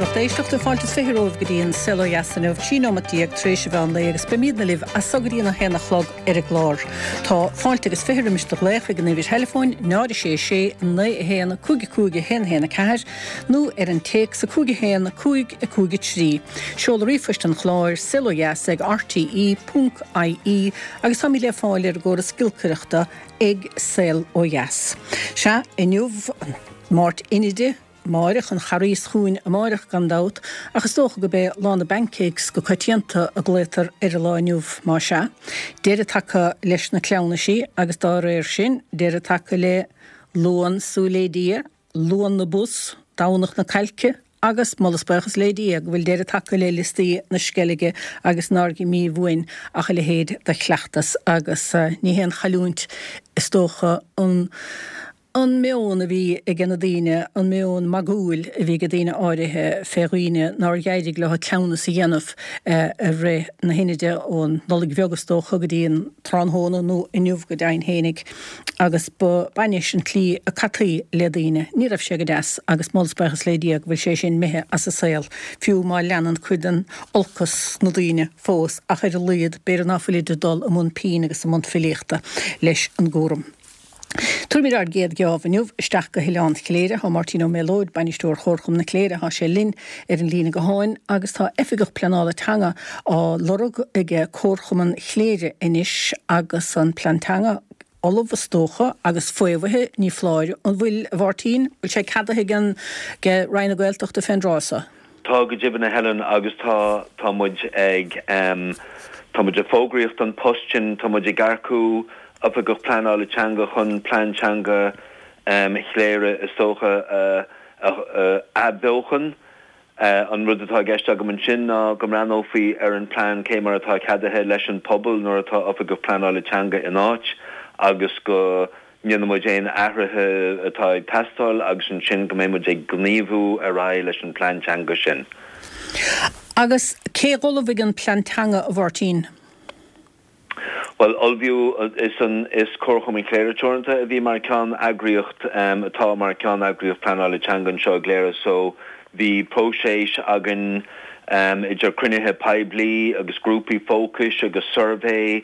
lucht éisteachta, fáilte is 20 romhaibh go dtí an Saol Ó Dheas inniu, 13 nóimeat tar éis an mheán lae agus beimidne libh as so go dtí an 1 a chlog ar an gclár. Tá fáilte agus 20 roimis do ghlaoch ag an uimhir theileafóin 0 6 6 9 1 5 5 1 1 4 nó ar an téacs 5 1 5 5 3. Seoladh ríomhphoist an chláir, saolodheas ag rte ponc ie agus táimid le fáil ar an gcóras giolcaireachta ag Saol Ó Dheas. Sea, inniu, Máirt Inide, amáireach, an Charghas chugainn amáireach gan dabht, ach is dócha gurb é Lá na bPancakes go coitianta a glaotar ar an lá inniu, má sea. Deireadh tagtha leis na cleamhnaisí agus dá réir sin, deireadh tagtha le Luan Súil Lé Dia, Luan na bPus, Domhnach na Cailce agus, moladh 's buíochas lé Dia, go bhfuil deireadh tagtha le liostaí na Sceilge agus nár imigh uainn ach a leithéid de chleachtas agus ní haon chailliúint is dócha an an meon a bhí aige na daoine, an meon magúil a bhí aige daoine áirithe fé dhaoine nár dh'éirigh leo cleamhnas a dhéanamh i rith na hInide ón Nollaig Bheag is dócha go dtí an tráthnóna nó inniu go deimhin fhéinig. Agus ba b'in é an tslí a caití le daoine. Ní raibh sé go deas agus moladh 's buíochas lé Dia go bhfuil sé sin imithe as an saol, fiú má leanann cuid den olcas sna daoine fós ach ar a laghad b'fhéidir ná fuilid ag dul i mbun pinn agus i mbun filíochta leis an gcúram. Tabharfaimid ár gcéad gheábh inniu isteach go hOileán Chléire. Tá Máirtín Ó Méalóid, Bainisteoir Chomharchumann na Cléire, tá sé linn ar an líne gutháin agus tá Oifigeach Pleanála Teanga á lorg ag Comharchumann Chléire anois agus an Plean Teanga ullamh is dócha agus faomhaithe, ní foláir, an bhfuil, a Mháirtín? Bhfuil sé ceadaithe ag an Roinn na Gaeltachta fén dtráth so? Tá go deimhin a Helen agus tá, tá muid ag em, tá muid ag fógraíocht don post sin, tá muid ag earcú Oifigeach Pleanála Teanga chun Plean Teanga em Chléire is dócha a, a, a athbheochan. An rud atá i gceist agam ansin ná go mbreathnófaí ar an plean cé mar atá ceadaithe leis an pobal nuair atá Oifigeach Pleanála Teanga in áit agus go ndéanfaidh muid aon athruithe atá ag teastáil agus ansin go mbeidh muid ag gníomhú ar aghaidh leis an plean teanga sin. Agus cé dh'ullmhaigh an plean teanga, a Mháirtín? Bhuel, ullmhaíodh, is an, is Comharchumann Chléire Teoranta a bhí mar cheann-eagraíocht, atá mar cheann-eagraíocht pleanála teanga anseo i gCléire so bhí próiseas againn idir cruinnithe poiblí agus grúpaí fócais agus suirbhé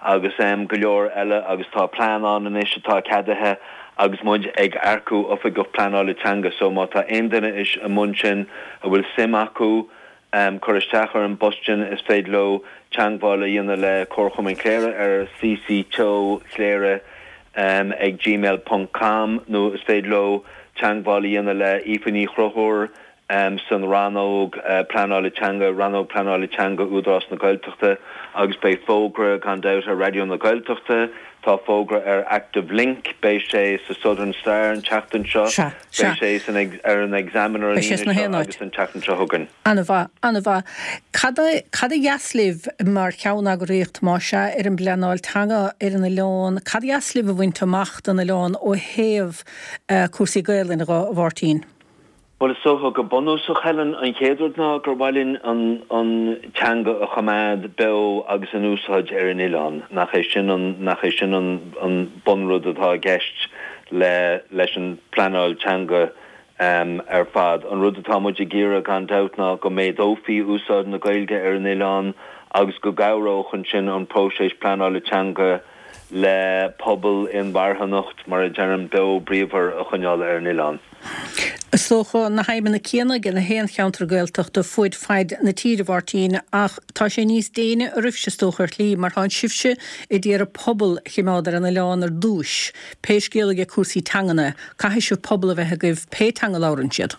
agus go leor eile agus tá plean ann anois atá ceadaithe agus muid ag earcú oifigeach pleanála teanga so má tá aon duine i mbun sin a bhfuil suim acu cur isteach ar an bpost sin, is féidir leo teangmháil a dhéanamh le Comharchumann Chléire ar ccteochléire ag gmail ponc com nó is féidir leo teangmháil a dhéanamh le Aoife Ní Chonchúir san Rannóg Pleanála Teanga, Rannóg Pleanála Teanga, Údarás na Gaeltachta agus beidh fógra gan dabht ar Raidió na Gaeltachta, tá fógra ar Active Link, beidh sé sa Southern Star an tseachtain seo. Sea. Sea. Beidh sé san ar an Examiner an Beidh sé Aoine sna seo haon áit. agus an tseachtain seo chugainn. An-mhaith, an-mhaith. Cad a, cad a dheas libh mar cheanneagraíocht, más ea, ar an bpleanáil teanga ar an oileán, cad a dheas libh a bhaint amach don oileán ó thaobh cúrsaí Gaelainne dho, a Mháirtín? Bhuel, is dócha go bunúsach, Helen, an chéad rud ná gur mhaith linn an an teanga a choimeád beo agus in úsáid ar an oileán. Nach é sin an, nach é sin an an bunrud atá i gceist le leis an bpleanáil teanga ar fad. An rud atá muid ag iarraidh gan dabht ná go méadófaí úsáid na Gaeilge ar an oileán agus go gcabhródh ansin an próiseas pleanála teanga le pobal inmharthanacht, mar a deirim, beo bríomhar a choinneáil ar an oileán. Is dócha na haidhmeanna céanna ag na haon cheantar Gaeltachta fuaid faid na tíre, a Mháirtín, ach tá sé níos déine oraibhse is dócha ar shlí mar tánn sibhse ag iarraidh pobal a chimeád ar an oileán ar dtúis, pé scéal aige cúrsaí teangan é, caithfidh sibh pobal a bheith agaibh pé teanga a labhrann siad.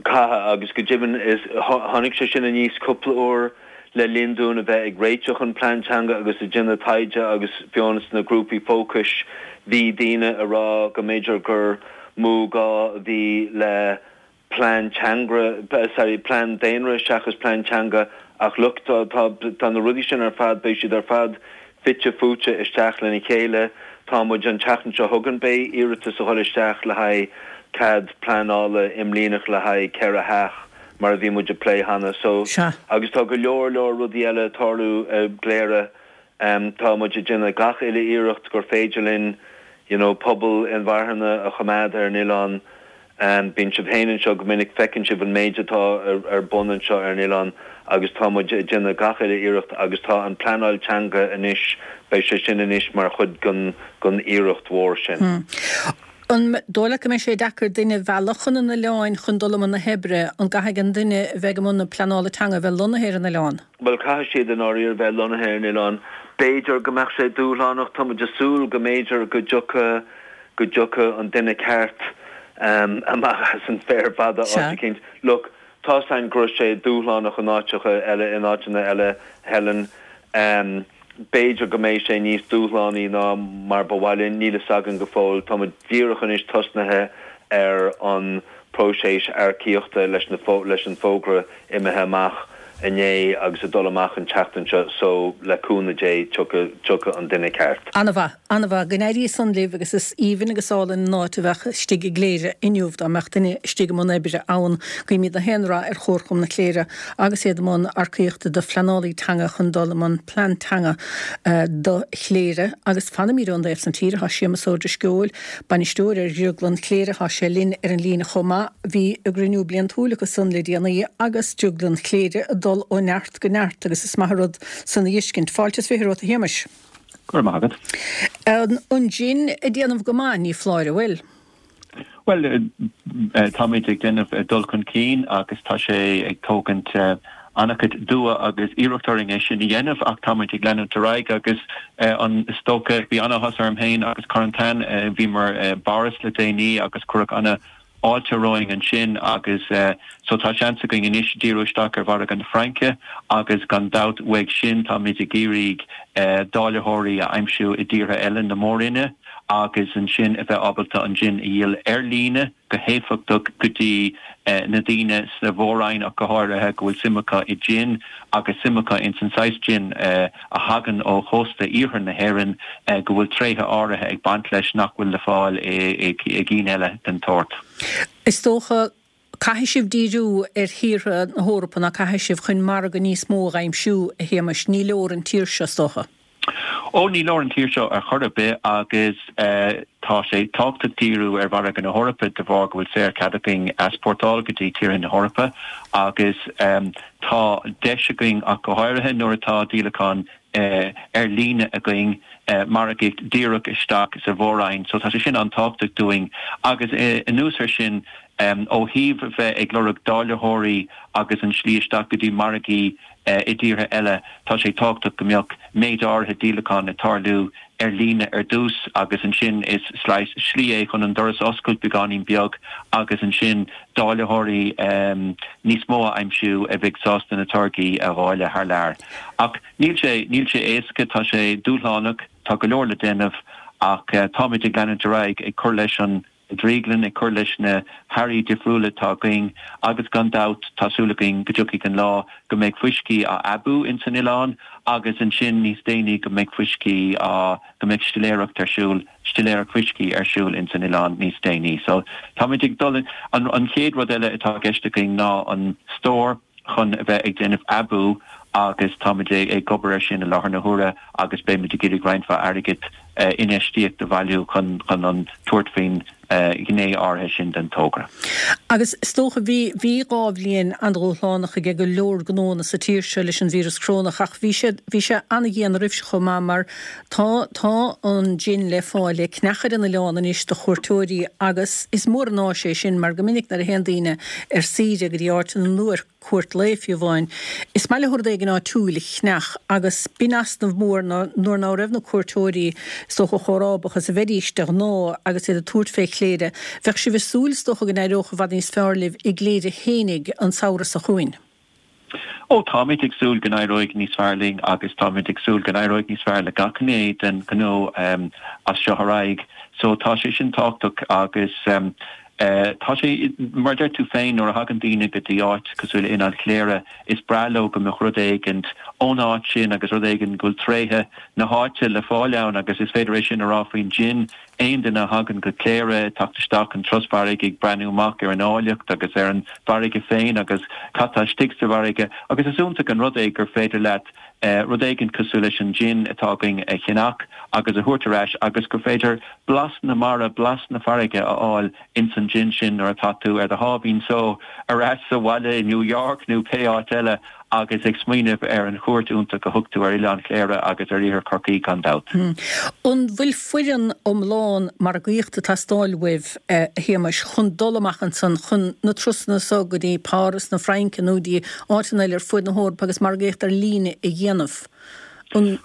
Caithfidh, agus go deimhin is tháinig sé sin aníos cúpla uair le linn dúinn a bheith ag réiteach an plean teanga agus ag déanamh taighde agus fiú sna grúpaí fócais bhí daoine ag rá go mb'fhéidir gur mó gá a bhí le plean teanga, sorry, plean daonra seachas plean teanga ach look tá tá tá na rudaí sin ar fad beidh siad ar fad fite fuaite isteach lena chéile. Tá muid, an tseachtain seo chugainn beidh iarratas a dhul isteach le haghaidh cead pleanála imlíneach le haghaidh 4 theach mar a bhí muid ag plé cheana. So, Sea. agus tá go leor leor rudaí eile ag tarlú i gCléire. Tá muid ag déanamh gach uile iarracht gur féidir linn you know pobal inmharthana a choimeád ar an oileán. Bíonn sibh féin anseo go minic, feiceann sibh an méid atá ar bun anseo ar an oileán agus tá muid ag déanamh gach uile iarracht agus tá an pleanáil teanga anois, beidh sé sin anois mar chuid den iarracht mhór sin. An dóigh leat go mbeidh sé deacair duine a mhealladh chun an oileáin chun dul i mbun na hoibre? An gcaithfidh an duine a bheidh i mbun na pleanála teanga a bheith lonnaithe ar an oileán? Bhuel, caithfidh siad i ndáiríre bheith lonnaithe ar an oileán. B'fhéidir go mbeadh sé dúshlánach, tá muid ag súil go mb'fhéidir go dtiocfadh, go dtiocfadh an duine ceart amach as an bhféar fada áit eicínt. Look, tá's a'inn go raibh sé dúshlánach in áiteacha eile, in áiteanna eile, Helen. B'fhéidir go mbeidh sé níos dúshlánaí ná mar ba mhaith linn, níl fhios againn go fóill. Tá muid díreach anois tosnaithe ar an próiseas earcaíochta leis na leis an fógra imithe amach inné agus ag dul amach an tseachtain seo so le cúnamh Dé tiocfaidh tiocfaidh an duine ceart. An-mhaith. An-mhaith. Go n-éirí san libh agus is aoibhinn agus álainn an áit a bheadh istigh i gCléire inniu dá mbeadh duine istigh i mbun oibre ann. Guímid na haon rath ar Chomharchumann na Cléire agus iad i mbun earcaíochta do phleanálaí teanga chun dul i mbun plean teanga do Chléire. Agus fanaimid ón dtaobh san tíre, tá Séamus Ó Drisceoil, bainisteoir ar Dhrioglann Chléire, tá sé linn ar an líne chomh maith. Bhí a gcruinniú bliantúil acu san le déanaí agus Drioglann Chléire ag dul ó neart go neart agus is maith an rud san a fheiscint. Fáilte is 20 romhat a Shéamais. Go raibh maith agat. An jin ag déanamh go maith, ní foláir, an bhfuil? Bhuel, táimid ag déanamh dul chun cinn agus tá sé ag tógaint an-chuid dua agus iarracht orainn é sin a dhéanamh ach táimid ag leanúint ar aghaidh agus an is dócha, bhí an-áthas orm féin agus Corentin, bhíomar i bPáras le déanaí agus cuireadh ana fháilte romhainn ansin agus so tá seans againn anois díriú isteach ar mhargadh na Fraince agus gan dabht uaidh sin táimid ag iarraidh dáilitheoirí a aimsiú i dtíortha eile na Mór-Roinne agus ansin a bheith ábalta an jin a dhíol ar líne go héifeachtach go dtí na daoine sa Mhór-Roinn ach go háirithe go bhfuil suim acu i jin agus suim acu ins an saghas jin a thagann ó chósta iarthar na hÉireann, go bhfuil tréithe áirithe ag baint leis nach bhfuil le fáil i gcinn eile den tsórt. Is dócha, caithfidh sibh díriú ar thíortha na hEorpa, ná caithfidh sibh, chun margadh níos mó a aimsiú, a Shéamais? Ní leor an tír seo, is dócha. Ó, ní leor an tír seo ar chor ar bith agus tá sé tábhachtach díriú ar mhargadh na hEorpa de bharr go bhfuil saorchead againn easpórtáil go dtí tíortha na hEorpa agus tá deis againn ach go háirithe nuair atá díolachán ar líne againn, margaíocht díreach isteach sa Mhór-Roinn so tá sé sin an-tábhachtach dúinn agus anuas ar sin ó thaobh bheith ag lorg dáilitheoirí agus an slí isteach go dtí margaí i dtíortha eile, tá sé tábhachtach go mbeadh méid áirithe díolachán ag tarlú ar líne ar dtús agus ansin is slí é chun an doras a oscailt beagáinín beag agus ansin dáilitheoirí níos mó a aimsiú a bheidh sásta na táirgí a dháileadh thar lear. Ach níl sé, níl sé éasca, tá sé dúshlánach, tá go leor le déanamh ach táimid ag leanúint ar aghaidh ag cur leis an drioglann, ag cur leis na hearraí difriúla atá againn agus gan dabht tá súil againn go dtiocfaidh an lá go mbeidh fuiscí á aibiú ins an oileán agus ansin níos déanaí go mbeidh fuiscí á, go mbeidh stiléireacht ar siúl, stiléireacht fuiscí ar siúl ins an oileán níos déanaí. So táimid ag dul, an, an chéad rud eile atá i gceist againn ná an stór chun a bheith ag déanamh aibiú agus táimid ag obair air sin i láthair na huaire agus beimid ag iarraidh roinnt mhaith airgid infheistíocht a bhailiú chun chun an tabhairt faoin ghné áirithe sin den togra. Agus is dócha, bhí, bhí 2 bhliain an-dhúshlánach aige go leor gnóanna sa tír seo leis an víreas corónach ach bhí sé, bhí sé an-dhian roimhe seo chomh maith mar tá, tá an jin le fáil le ceannach ar an oileán anois do chuairteoirí agus is mór an áis é sin mar go minic nuair a théann daoine ar saoire go dtí áiteanna nó ar cuairt lae fiú amháin. Is maith leo rud éigin áitiúil a cheannach agus b'in easnamh mór nuair ná raibh na cuairteoirí is dócha chomh rábach is a bheidís de ghnáth agus iad ag tabhairt fé Chléire. Bheadh sibh ag súil is dócha go n-éireodh i bhfad níos fearr libh i gCléire fhéinig an samhradh seo chugainn. Ó, táimid ag súil go n-éireoidh níos fearr linn agus táimid ag súil go n-éireoidh níos fearr le gach gné den ghnó as seo ar aghaidh. So tá sé sin tábhachtach agus Tá sé, mar a deir tú féin, nuair a thagann daoine go dtí áit cosúil le Oileán Chléire, is breá leo go mbeadh rud éigint ón áit sin agus rud éigin go bhfuil tréithe na háite le fáil ann agus is féidir é sin a rá faoin jin. Aon duine a thagann go Cléire, ag teacht isteach an turas farraige ag breathnú amach ar an áilleacht agus ar an bhfarraige féin agus cad tá istigh sa bhfarraige agus is iontach an rud é gur féidir leat rud éigin cosúil leis an jin atá againn a cheannach. agus a thabhairt ar ais agus gur féidir blas na mara, blas na farraige a fháil ins an jin sin nuair atá tú ar do sháimhín só ar ais sa bhaile i New York nó pé áit eile agus ag smaoineamh ar an chuairt iontach a thug tú ar Oileán Chléire agus ar Iarthar Chorcaí gan dabht. An bhfuil foireann iomlán margaíochta ag teastáil uaibh, a Shéamais, chun dul amach ansan chun na turasanna so go dtí Páras na Fraince nó dtí áiteanna eile ar fuaid na hEorpa agus margaíocht ar líne a dhéanamh? An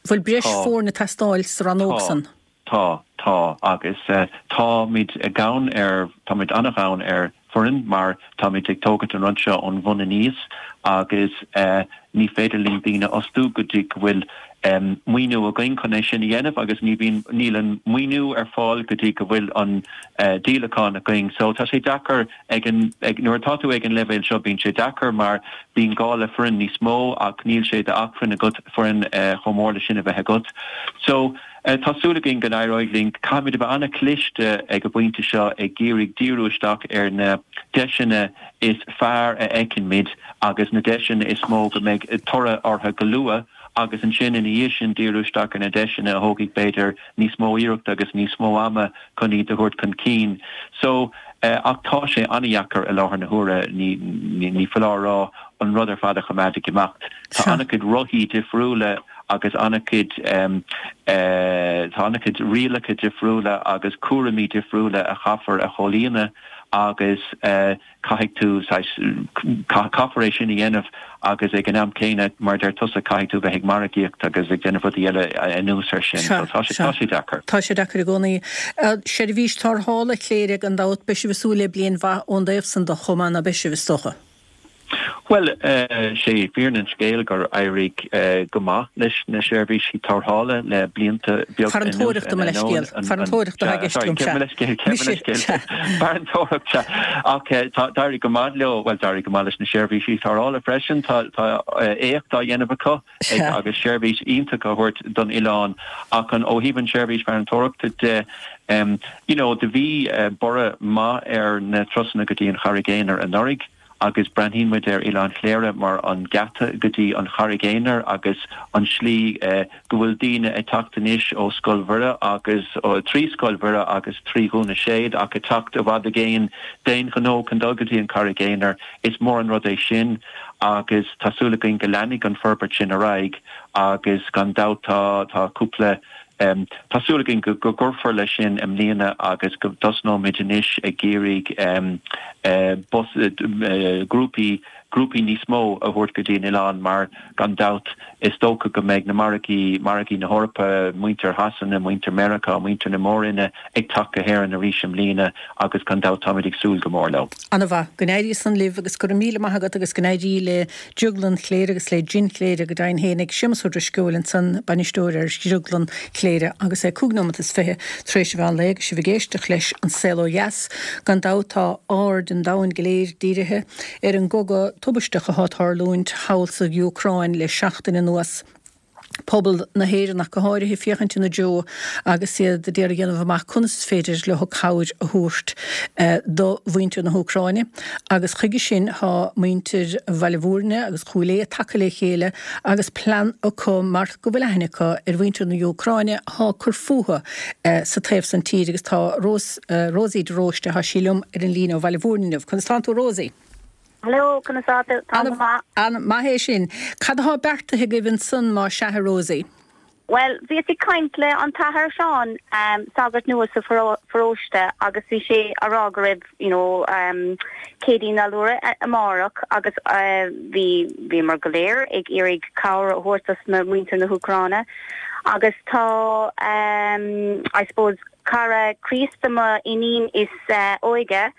bhfuil breis foirne ag teastáil sa rannóg san? Tá, tá, agus táimid gann ar, táimid an-ghann ar foireann mar táimid ag tógaint an rud seo ón bhun aníos agus ní féidir linn daoine a fhostú go dtí go bhfuil maoiniú againn chun é sin a dhéanamh agus ní bhíonn, níl an maoiniú ar fáil go dtí go bhfuil an díolachán againn. So tá sé deacair ag an, ag, nuair atá tú ag an leibhéal seo bíonn sé deacair mar bíonn gá le foireann níos mó ach níl sé d'acmhainn agat foireann chomh mór le sin a bheith agat. So. Tá súil againn go n-éireoidh linn. Caithfimid a bheith an-chliste ag an bpointe seo ag iarraidh díriú isteach ar na deiseanna is fearr a fheiceann muid agus na deiseanna is mó go mbeidh toradh orthu go luath agus ansin ina dhiaidh sin díriú isteach ar na deiseanna a thógfaidh b'fhéidir níos mó iarrachta agus níos mó ama chun iad a thabhairt chun cinn. So, ach tá sé an-dheacair i láthair na huaire, ní, ní foláir a rá, an rud ar fad a choimeád ag imeacht. Tá an-chuid rothaí difriúla agus an-chuid, tá an-chuid rialacha difriúla agus cúraimí difriúla a chaithfear a chomhlíonadh agus caithfidh tú saghas, caithfear é sin a dhéanamh agus ag an am céanna, mar a deir tusa, caithfidh tú bheith ag margaíocht agus ag déanamh rudaí eile anuas air sin. So tá sé, tá sé deacair. Tá sé deacair i gcónaí. Seirbhís tarrthála Chléire gan dabht, beidh sibh ag súil le bliain mhaith ón dtaobh san de chomh maith, ná beidh sibh, is dócha? Bhuel, sé fírinne an scéil gur éirigh go maith leis na seirbhísí tarrthála le blianta beaga anuas. Farantóireachta, mo leithscéal. Farantóireachta atá i gceist agam, sea. Mise, sea. Farantóireacht, sea. Ach tá, d'éirigh go maith leo, bhuel, d'éirigh go maith leis na seirbhísí tarrthála freisin. Tá éacht á dhéanamh acu agus seirbhís iontach á thabhairt don oileán. Ach an, ó thaobh an seirbhís farantóireachta de, you know, do bhí borradh maith ar na turasanna go dtí an Charraig Aonair anuraidh agus breathnaíonn muid ar Oileán Chléire mar an geata go dtí an Charraig Aonair agus an slí go bhfuil daoine ag teacht anois ó Scoil Mhuire agus trí Scoil Mhuire agus trí Dhún na Séad ach ag teacht i bhfad i gcéin d'aon ghnó chun dul go dtí an Charraig Aonair. Is mór an rud é sin agus tá súil againn go leanfaidh an forbairt sin ar aghaidh agus gan dabht tá tá cúpla Tá súil againn go gcuirfear leis sin i mbliana agus go dtosnóimid anois ag iarraidh bus, grúpaí, grúpaí níos mó a thabhairt go dtí an oileán mar gan dabht is dócha go mbeidh na margaí, margaí na hEorpa, muintir Shasana, muintir Meiriceá, muintir na Mór-Roinne ag teacht go hÉirinn arís i mbliana agus gan dabht táimid ag súil go mór leo. Ana-mhaith. Go n-éirí san libh agus go raibh míle maith agat agus go n-éirí le Drioglann Chléire agus le Jin Chléire go deimhin fhéinig. Séamus Ó Drisceoil ansan, bainisteoir ar Dhrioglann Chléire agus é 25 nóimeat tar éis an mheán lae agus sibh ag éisteacht leis An Saol Ó Dheas. Gan dabht tá aird an domhain go léir dírithe ar an gcogadh tubaisteach atá ag tarlúint thall sa Úcráin le seachtain anuas. pobal na hÉireann ach go háirithe, féachaint ina dtreo agus iad ag iarraidh a dhéanamh amach conas is féidir leo cabhair a thabhairt do mhuintir na hÚcráine. Agus chuige sin tá muintir Bhaile Bhúirne agus Chúil Aodha tagtha le chéile agus plean acu mar go bhfuil aithne acu ar mhuintir na hÚcráine atá ag cur fúthu sa taobh san tíre agus tá Rosie de Róiste, tá sí liom ar an líne ó Bhaile Bhúirne inniu. Conas tánn tú a Rosie? Hello, conas tá tú? Táim go maith. An-mhaith é sin. Cad atá beartaithe agaibh ansan má sea, a Rosie? Bhuel, bhíos ag caint le an tAthair Seán, sagart nua sa pharóiste agus bhí sé a rá go raibh, you know, Céadaoin an Allúra amárach agus bhí, bhíomar go léir ag iarraidh cabhair a thabhairt dos na muintir na hÚcráine agus tá, I suppose, Cara Críosta mo iníon is óige,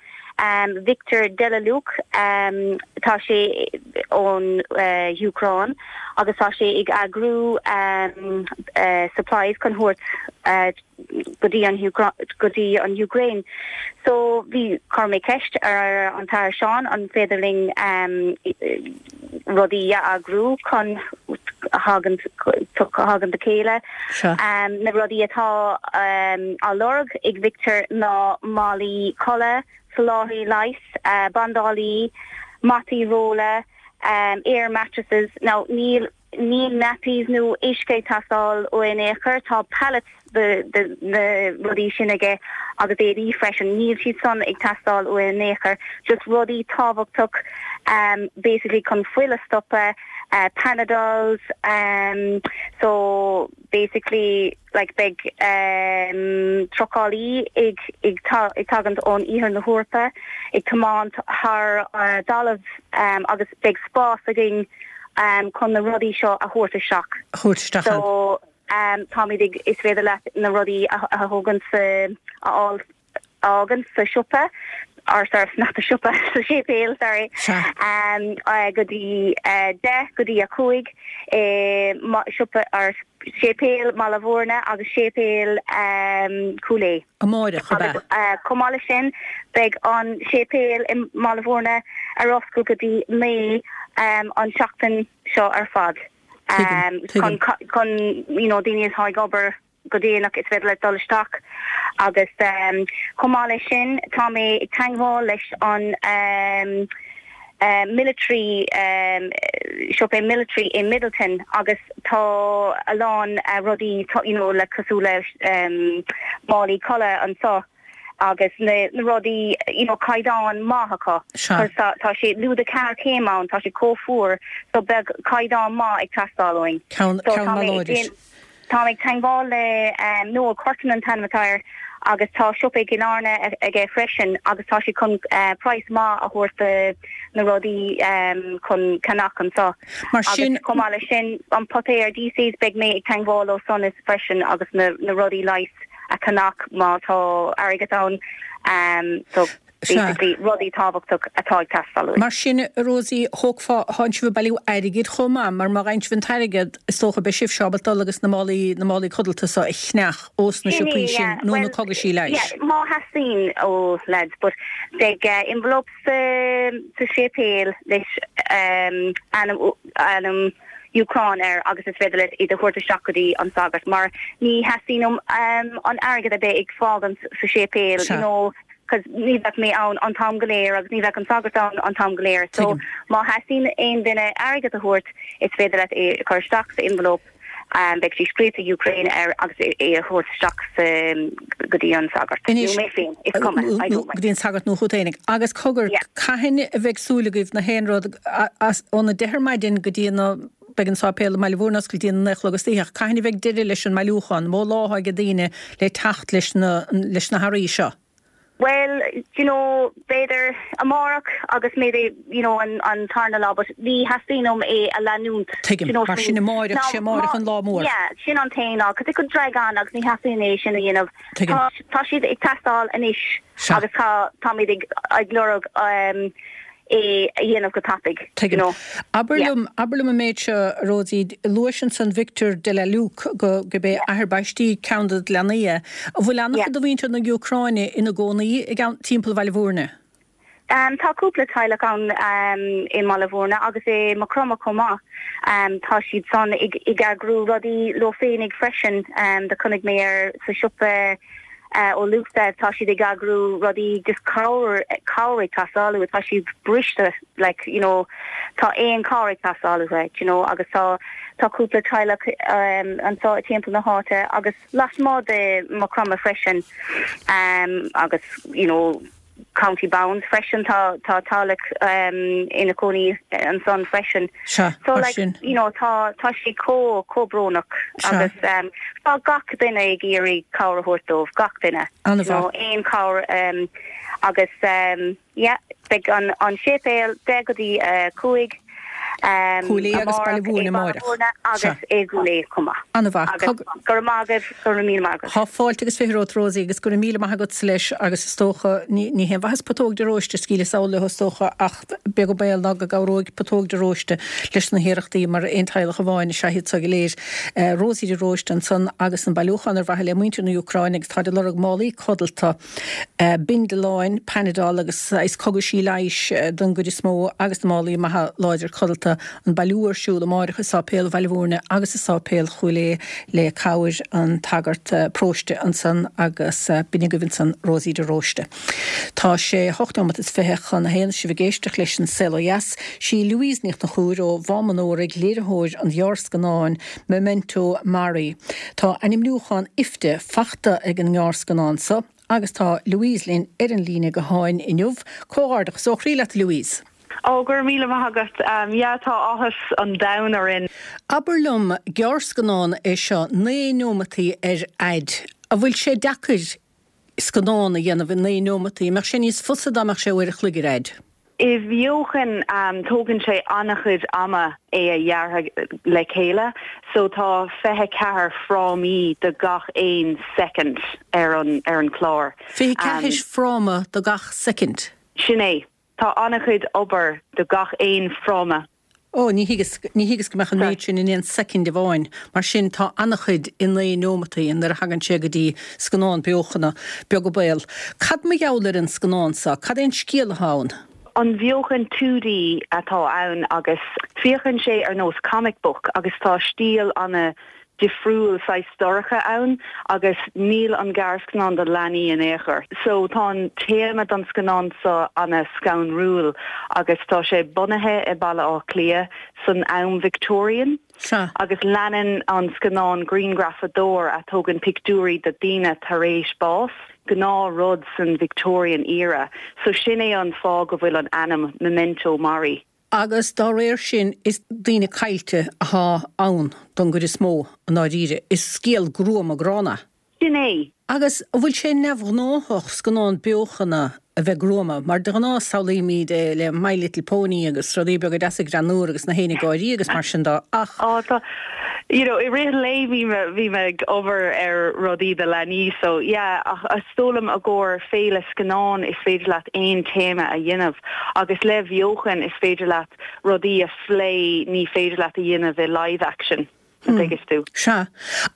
Victor Delaluk, tá sé ón Úcráin agus tá sé ag eagrú supplies chun thabhairt go dtí an go dtí an Úcráin. So bhí, chuir mé ceist ar an tAthair Seán an féidir linn rudaí a eagrú chun thagann thagann le chéile. Na rudaí atá á lorg ag Victor ná málaí codlata, soláthraí leighis, bandálaí, mataí rolla, air mattresses. Now níl. Níl nappies nó uisce ag teastáil uaidh in aon chor. Tá pallets de na rudaí sin aige agus éadaí freisin. Níl siad san ag teastáil uaidh in aon chor. Just rudaí tábhachtach basically chun fuil a stopadh, panadols, so basically like beidh trucálaí ag ag tagaint ón iarthar na hEorpa ag tiomáint thar dtalamh agus beidh spás againn chun na rudaí seo a thabhairt isteach. thabhairt isteach ann. So táimid ag, is féidir leat na rudaí a thógaint sa, a fháil, a fhágaint sa siopa, or sorry, not the siopa, sa séipéal, sorry, go dtí 10 go dtí 5 i siopa, or séipéal Bhaile Mhúirne agus séipéal Chúil Aodha. Amáireach, ab ea? Agus chomh maith leis sin, beidh an séipéal i mBaile Mhúirne ar oscailt go dtí 9 an tseachtain seo ar fad. Tuigim, tuigim. Chun, you know, daoine atá ag obair go déanach, is féidir leat dul isteach agus chomh maith leis sin tá mé ag teangmháil leis an military, siopa military i Midleton agus tá a lán rudaí you know le cosúil le málaí codlata anso agus na rudaí you know caighdeán maith acu Sea. cos tá sé lúide ceathair céim ann tá sé chomh fuar so beidh caighdeán maith ag teastáil uainn. Ceann So ceann tá maith mé ag láidir. déan tá mé ag teangmháil le Noel Curtin an t-ainm atá air agus tá siopa i gCill Airne aige freisin agus tá sé chun praghas maith a thabhairt do na rudaí chun ceannach anso. Mar Agus sin. chomh maith leis sin an Potaer DCs beidh mé ag teangmháil leo san is freisin agus na na rudaí leighis a cheannach má tá airgead ann. So basically rudaí tábhachtach atá ag teastáil uainn. Mar sin, a Rosie, thógfá, thánn sibh ag bailiú airgid chomh maith, mar má fhaigheann sibh an t-airgead, is dócha, beidh sibhse ábalta dul agus na málaí, na málaí codlata so a cheannach ós na Sin é, siopaí sin yeah. nó na Well, cogaisí leighis. yeah, má theastaíonn ó lads, but beidh envelopes sa, sa séipéal leis ainm, ainm Úcráin air agus is féidir leat iad a thabhairt isteach go dtí an sagart mar ní theastaíonn uaim an airgead a bheith ag fágaint sa séipéal, you know, cos ní bheadh mé ann an t-am go léir agus ní bheadh an sagart ann an t-am go léir. So má theastaíonn aon duine airgead a thabhairt is féidir leat é a chur isteach sa envelope, beidh sé scríofa Ukraine air agus é a thabhairt isteach sa go dtí an sagart. Nó mé féin, is cuma, I don't mind. Go dtí an sagart nó chút fhéinig. Agus cogar, Yeah. cathain a bheidh súil agaibh na haon rud as óna deich ar maidin go dtí na, beidh an sáipéal i mBaile Mhúirne oscailte go dtí a naoi a chlog istoíche ach cathain a bheidh deireadh leis an mbailiúchán, mó lá atá ag daoine le teacht leis na, leis na hearraí seo? Bhuel, do you know, b'fhéidir amárach agus maybe, you know, an an tarna lá, but ní theastaíonn uaim é a leanúint, do Tuigim. you know what Mar I sin mean? amáireach, Now, sé amáireach má, an lá mór. yeah, sin an t-aon lá, 'cause it could drag on agus ní theastaíonn é sin a dhéanamh. Tuigim. Tá, tá siad ag teastáil anois Sea. agus tá, táimid ag, ag lorg um, é a dhéanamh go tapaidh, do you Tuigim. know. Abair Yeah. liom, abair liom an méid seo, a Rosie, luais ansan Victor de la Luke go, gurb é Yeah. athair baistí ceann de do leanaí é. An bhfuil Yeah. an-chuid de mhuintir na Úcráine ina gcónaí i gceann, timpeall Bhaile Mhúirne? Um, tá cúpla teaghlach ann um, i mBaile Mhúirne agus i Maigh Chromtha chomh maith. Um, tá siad san ag, ag eagrú rudaí leo féinig freisin. Um, do chonaic mé ar sa siopa Ó Luasa, tá siad ag eagrú rudaí just cabhair, cabhair ag teastáil uathu, tá siad briste like you know tá aon cabhair ag teastáil uathu you know agus tá tá cúpla teaghlach anseo i timpeall na háite agus lasmuigh de Maigh Chromtha freisin agus you know County Bounds freisin, tá tá teaghlach ina cónaí ansan freisin. Sea, So mar like, sin. you know, tá tá sé chomh chomh brónach Sea. agus tá gach duine ag iarraidh cabhair a thabhairt dóibh, gach duine. An-mhaith. You know, aon cabhair agus yeah, beidh an an séipéal 10 go dtí 5. Cúil Aodha agus Baile Amárach Mhúirne i Baile amáireach. Mhúirne Sea. agus i gCúil Aodha chomh maith. An-mhaith. Agus Cog. go raibh maith agaibh, go raibh míle maith agat. Tá fáilte agus 20 romhat Rosie agus go raibh míle maith agatsa leis agus is dócha, ní, ní haon mhaitheas putóg de róiste a scaoileadh sall leo is dócha ach beag an baol ná go gcabhróidh putóg de róiste leis na hiarrachtaí mar aon teaghlach amháin is ea iad so go léir. Rosie de Róiste ansan agus an bailiúchán ar mhaithe le muintir na Úcráine agus táid ag lorg málaí codlata. Bindealáin, Panadol agus saghas cogaisí leighis don gcuid is mó agus na málaí maithe láidir codlata. Speisialta, an bailiú ar siúl amáireach i Sáipéal Bhaile Bhúirne agus i Sáipéal Chúil Aodha le cabhair an tsagart paróiste ansan agus b'in agaibh ansan Rosie de Róiste. Tá sé hocht neomat is 20 chun a haon is sibh ag éisteacht leis an Saol Ó Dheas. Sí Louise Ní Chonchúir ó Mhám an Óraigh léiritheoir an ghearrscannáin Memento Mori. Tá ainmniúchán IFTA fachta ag an ngearrscannán so agus tá Louise linn ar an líne gutháin inniu. Comhghairdeachas ó chroí leat a Louise! Ó, go raibh míle maith agat. Yeah, tá áthas an domhain orainn. Abair liom, gearrscannán é seo, 9 neomataí ar fhaid. An bhfuil sé deacair scannán a dhéanamh i 9 neomataí? An mbeadh sé níos fusa dá mbeadh sé uair a chloig ar fhaid? I bheochan, tógann sé an-chuid ama é a dheartha le chéile, so tá 24 frámaí do gach aon soicind ar an ar an chlár. 24 fráma do gach soicind? Sin é. Tá an-chuid obair do gach aon fráma. Ó, ní thuigeas, ní thuigeas go mbeadh an méid sin in aon soicind amháin. Mar sin, tá an-chuid i 9 neomataí nuair a thagann sé go dtí scannán beochana, beag an baol. Cad mar gheall ar an scannán seo? Cad é an scéal atá ann? An bheochan 2D atá ann agus féachann sé ar nós comic book agus tá stíl ana difriúil, saghas dorcha ann agus níl an gearrscannán do leanaí in aon chor. So tá an téama don scannán seo ana scanrúil agus tá sé bunaithe i Baile Átha Cliath san am Victorian Sea. agus leanann an scannán grianghrafadóir a tógann pictiúirí de daoine tar éis bás, gnáth rud san Victorian era. So sin é an fáth go bhfuil an ainm Memento Mori. Agus dá réir sin is daoine caillte athá ann don gcuid is mó, i ndáiríre. Is scéal gruama gránna. Sin é. Agus an bhfuil sé neamhghnáthach scannán beochana a bheith gruama? Mar de ghnáth samhlaímid é le My Little Pony agus rudaí beaga deasa greannúr agus na héin ag gáirí agus mar sin de ach. Á tá. You know, i rith an lae bhí mé, bhí mé ag obair ar rudaí do leanaí so yeah ach is dóigh liom i gcomhair féile scannán is féidir leat aon téama a dhéanamh agus le bheochan is féidir leat rudaí a phlé ní féidir leat a dhéanamh i live action, an dtuigeas tú? Sea.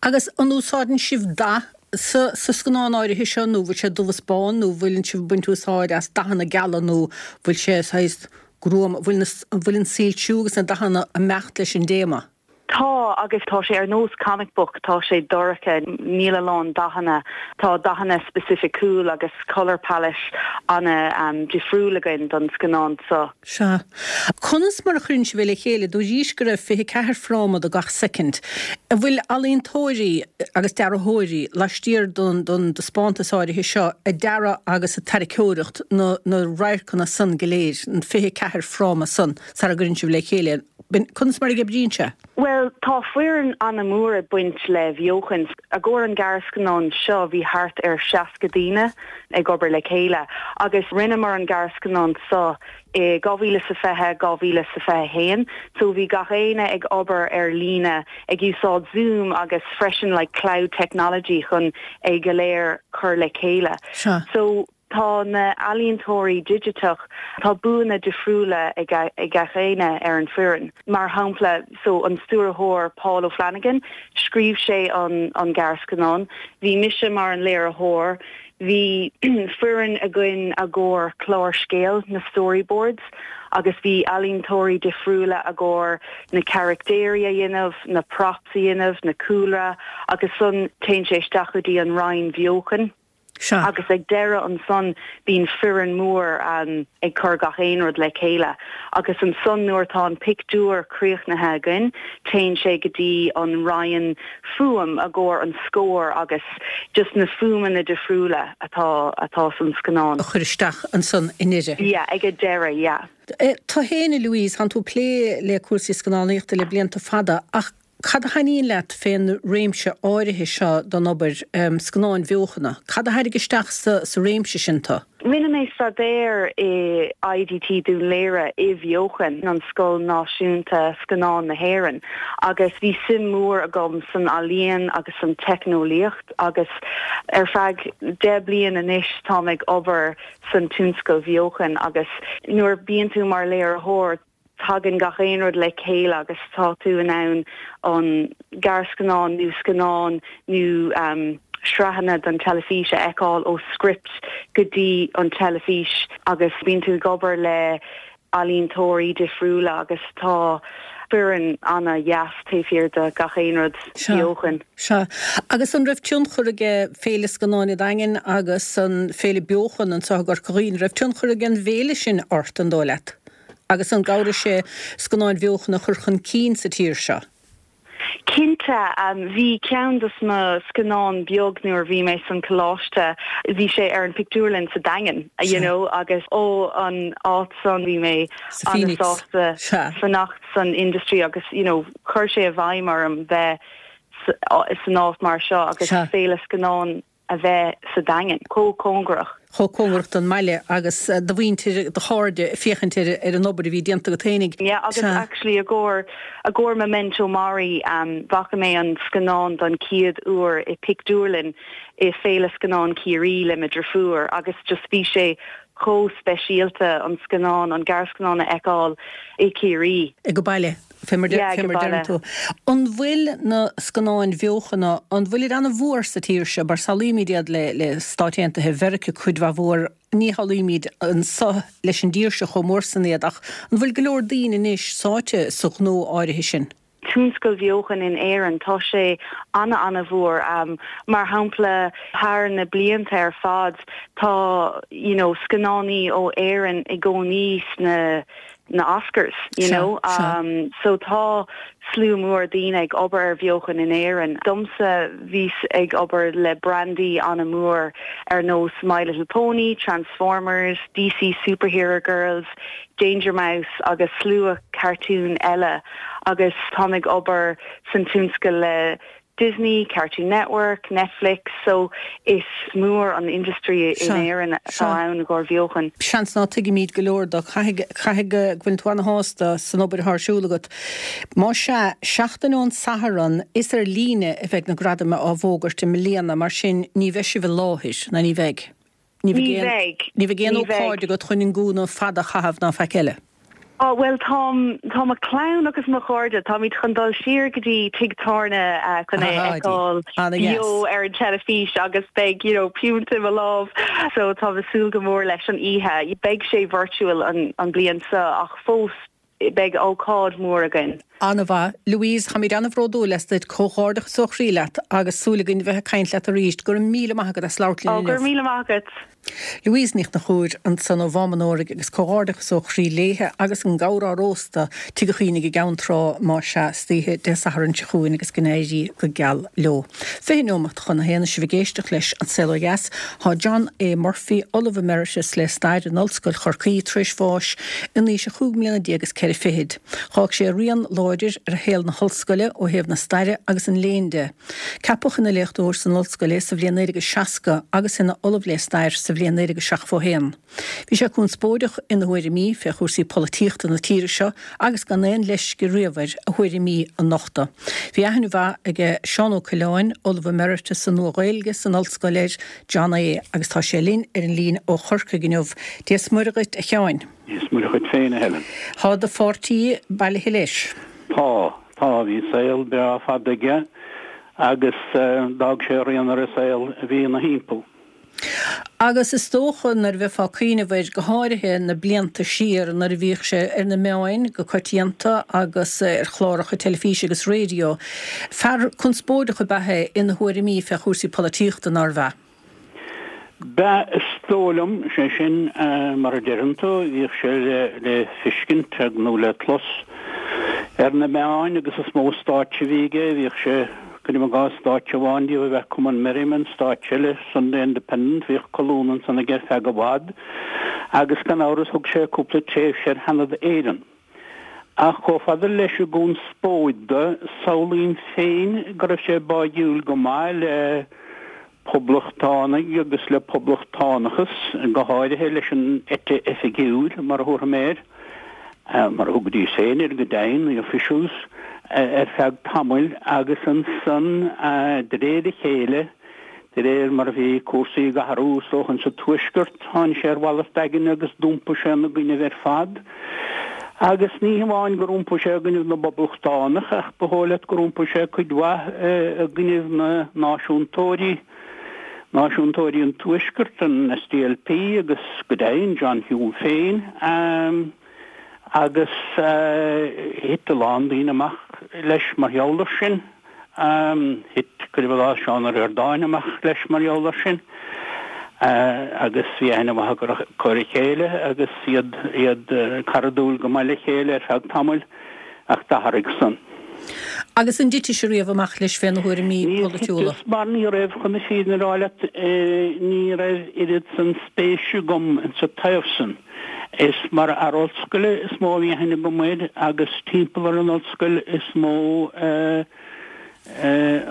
Agus an úsáideann sibh dath sa sa scannán áirithe seo nó bhfuil sé dubh is bán nó bhfuileann sibh ag baint úsáid as dathanna geala nó bhfuil sé saghas gruama, bhfuil na, bhfuil an soilsiú agus na dathanna ag imeacht leis an dtéama? Tá, agus tá sé ar nós comic book, tá sé dorcha, níl a lán dathanna, tá dathanna specificiúil agus colour palette ana difriúil againn don scannán seo. Sea. Conas mar a chuireann sibh é le chéile? Dúraís go raibh 24 fráma do gach soicind. An bhfuil ealaíontóirí agus dearthóirí laistiar don don dtaispeántas áirithe seo ag dearadh agus ag tarraiceoireacht na na radharcanna san go léir, an 24 fráma san, sara gcuireann sibh le chéile é? Conas mar a oibríonn sé? Bhuel, tá foireann ana-mhór ag baint le bheochan. I gcomhair an gearrscannán seo bhí thart ar 60 daoine ag obair le chéile agus rinneamar an gearrscannán seo i 2020, 2021 so bhí gach éinne ag obair ar líne ag úsáid Zoom agus freisin like cloud technology chun é go léir cur le chéile. Sea. So Tá na ealaíontóirí digiteach, tá buanna difriúla ag gach éinne ar an foireann. Mar shampla, so an stiúrthóir Paul O'Flanagan, scríobh sé an an gearrscannán, bhí mise mar an léiritheoir, bhí foireann againn i gcomhair clár scéil, na storyboards, agus bhí ealaíontóirí difriúla i gcomhair na caractéirí a dhéanamh, na props a dhéanamh, na cúlra, agus ansan téann sé isteach go dtí an roinn bheochan. Sea. Agus ag deireadh ansan bíonn foireann mór ag cur gach aon rud le chéile. Agus ansan nuair atá an pictiúr críochnaithe againn téann sé go dtí an roinn fuaim i gcomhair an scór agus just na fuaimeanna difriúla atá atá san scannán. a chur isteach ansan i ndeireadh. Yeah, ag an deireadh, yeah. Tú féin, a Louise, tánn tú ag plé le cúrsaí scannánaíochta le blianta fada ach Cad a thaitníonn leat fén réimse áirithe seo den obair, scannáin bheochana? Cad a tharraing isteach sa réimse sin tú? Rinne mé staidéar i IDT Dún Laoghaire i bheochan, an Scoil Náisiúnta Scannán na hÉireann, agus bhí suim mór agam san ealaíon agus san teicneolaíocht agus ar feadh 10 bliain anois táim ag obair san tionscal bheochan agus nuair bíonn tú mar léiritheoir tagann gach aon rud le chéile agus tá tú in ann an gearrscannán nó scannán nó sraitheanna don teilifís a fheiceáil ó script go dtí an teilifís agus bíonn tú ag obair le. ealaíontóirí difriúla agus tá foireann ana-dheas taobh thiar de gach aon rud beochan. Sea. Agus an raibh tionchar aige Féile Scannáin an Daingin agus an Féile Beochan anseo i gCorca Dhuibhne, an raibh tionchar ag an bhféile sin ort, an dóigh leat? Agus an gcabhraigh sé scannáin bheochana a chur chun cinn sa tír seo? Cinnte, bhí ceann dos mo scannáin beag nuair a bhí mé san coláiste, bhí sé ar an pictiúrlann sa Daingean, you know, agus ó an áit san bhí mé an-sásta fanacht san industry agus, you know, chuir sé i bhfeidhm orm bheith san áit mar seo agus féile scannán a bheith sa Daingean, chomh cóngarach. chomh cóngarach don mbaile agus do mhuintir, do chairde ag féachaint ar an obair a bhí déanta agat fhéinig. Yeah, agus actually i gcomhair, i gcomhair Memento Mori, bhfaca mé an scannán don chéad uair i pictiúrlann i Féile Scannán Chiarraí le mo driofúr agus just bhí sé chomh speisialta an scannán, an gearrscannán a fheiceáil i Ciarraí. Ag baile. Fé mar deireann tú. An bhfuil na scannáin bheochana, an bhfuilid ana-mhór sa tír seo, mar samhlaímid iad le Stáit Aontaithe Mheiriceá cuid mhaith mhór, ní shamhlaímid anso leis an dtír seo chomh mór san iad, ach an bhfuil go leor daoine anois sáite sa ghnó áirithe sin? Tionscal bheochan in Éirinn, tá sé ana-ana-mhór. Mar shampla, thar na blianta ar fad, tá you know scannánaí ó Éirinn i gcónaí sna na Oscars, you know. So tá slua mór daoine ag obair ar bheochan in Éirinn. Domsa, bhíos ag obair le brandaí an-mhór ar nós My Little Pony, Transformers, DC Superhero Girls, Danger Mouse agus slua cartún eile agus táim ag obair san tionscal le Disney, Cartoon Network, Netflix, so is mór an industry in Éirinn atá ann i gcomhair bheochan. Seans ná tuigimid go leor de. Caithfidh, caithfidh go bhfuil tú ana-shásta san obair atá ar siúl agat. Más ea, seachtain ón Satharn is ar líne a bheidh na gradaim á bhfógairt i mbliana, mar sin ní bheidh sibh i láthair, ná ní bheidh? Ní bheidh. Ní bheidh aon ócáid agat chun an gúna fada a chaitheamh ná faic eile. Á, bhuel, táim, tá mo chlann agus mo chairde, táimid chun dul siar go dtí tigh tábhairne chun é a fheiceáil beo ar an teilifís agus beidh, you know, piúnt i mo lámh. So táim ag súil go mór leis an oíche. Beidh sé virtual an, an bliain seo ach fós beidh ócáid mhór againn. An-mhaith. Louise, táimid an-bhródúil asat, comhghairdeachas ó chroí leat agus súil againn a bheith ag caint leat arís. Go raibh míle maith agat as labhairt linn inniu. Go raibh míle maith agat. Louise Ní Chonchúir ansan ó Mhám an Óraigh agus comhghairdeachas ó chroí léithe agus an gabhar á róstadh Tigh an Chaoinigh i gCeann Trá más ea istoíche Dé Sathairn seo chugainn agus go n-éirí go geal leo. 20 neomat chun a haon is sibh ag éisteacht leis An Saol Ó Dheas. Tá John A. Murphy, Ollamh Emeritus le Stair in Ollscoil Chorcaí, tar éis bháis in aois a chúig mbliana déag is ceithre fichid. Dh'fhág sé rian láidir ar shaol na hollscoile ó thaobh na staire agus an léinn de. Ceapadh ina léachtóir san ollscoil é sa bhliain 1960 agus ina Ollamh le Stair sa bhliain 1971. Bhí sé conspóideach ina thuairimí fé chúrsaí polaitíochta na tíre seo agus gan aon leisce riamh air a thuairimí a nochtadh. Bhí aithne mhaith aige Seán Ó Coileáin, Ollamh Emeritus sa Nua-Ghaeilge san Ollscoil ar John A. agus tá sé linn ar an líne ó Chorcaigh inniu. Dia 's Muire dhuit, a Sheáin. Dia 's Muire dhuit féin, a Helen. Tá do pháirtí bailithe leis. Tá, tá. Bhí saol breá fada aige agus d'fhág sé a rian ar an saol a bhí ina thimpeall. Agus is dócha, nuair a bheifeá ag cuimhneamh air, go háirithe na blianta siar nuair a bhíodh sé ar na meáin go coitianta agus ar chláracha teilifíse agus raidió, fear conspóideach ab ea é ina thuairimí fé chúrsaí polaitíochta, nárbh ea? B'ea, is dóigh liom, sé sin, mar a deireann tú, bhíodh sé le feiscint nó le clos ar na meáin agus is mó stáitse a bhí aige, bhíodh sé Cuirim i gcás stáitse amháin díobh ab ea Cumann Merriman, stáitse eile, Sunday Independent, bhíodh colún ansan aige ar feadh i bhfad agus gan amhras thug sé cúpla tréimhse ar Sheanad Éireann. Ach chomh fada leis an gconspóid de, samhlaím féin go raibh sé báidhiúil go maith le poblachtánaigh agus le poblachtánachas, go háirithe leis an eite oifigiúil, mar a thabharfaidh mé air, mar a thugaidís féin air go deimhin, the officials, ar feadh tamaill agus ansan, de réir a chéile, de réir mar a bhí cúrsaí ag athrú, is dócha, insa Tuaisceart, tháinig sé ar mhalairt aigne agus d'iompaigh sé ina gcoinnibh ar fad. Agus ní hamháin gur iompaigh sé i gcoinnibh na bPoblachtánach, ach ba dhóigh leat gur iompaigh sé cuid mhaith i gcoinnibh na náisiúntóirí, náisiúntóirí an Tuaiscirt, an SDLP agus, go deimhin, John Hume féin. Agus thit a lán daoine amach leis mar gheall air sin. Thit, cuirim i gcás, Seán Ó Ríordáin amach leis mar gheall air sin. Agus bhí aithne mhaith acu ar a chéile agus iad iad caradúil go maith le chéile ar feadh tamaill ach d'athraigh san. Agus an dtitis riamh amach leis féna thuairimí polaitiúla? Níor thiteas mar ní raibh, chun na fírinne a rá leat, ní raibh oiread san spéise agam insa taobh san. Is mar fhear ollscoile is mó a bhí aithne agam air agus timpeall ar an ollscoil is mó a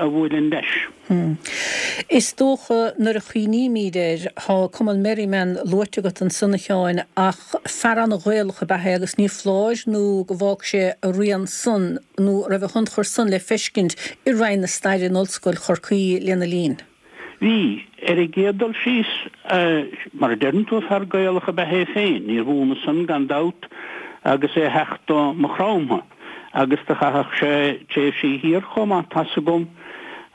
bhuailinn leis. Is dócha nuair a chuimhnímid air, tá Cumann Merriman luaite agat ansan a Sheáin, ach fear an-Ghaelach ab ea é agus ní foláir nó go bhfág sé a rian san nó a raibh a thionchar san le feiscint i Roinn na Staire in Ollscoil Chorcaí lena linn. Bhí. Ar an gcéad dul síos, mar a deireann tú, fear Gaelach ab ea é féin. Níorbh ionadh san, gan dabht, agus é a theacht ó Maigh Chromtha. Agus do chaitheadh sé tréimhsí thiar chomh maith, tá's agam,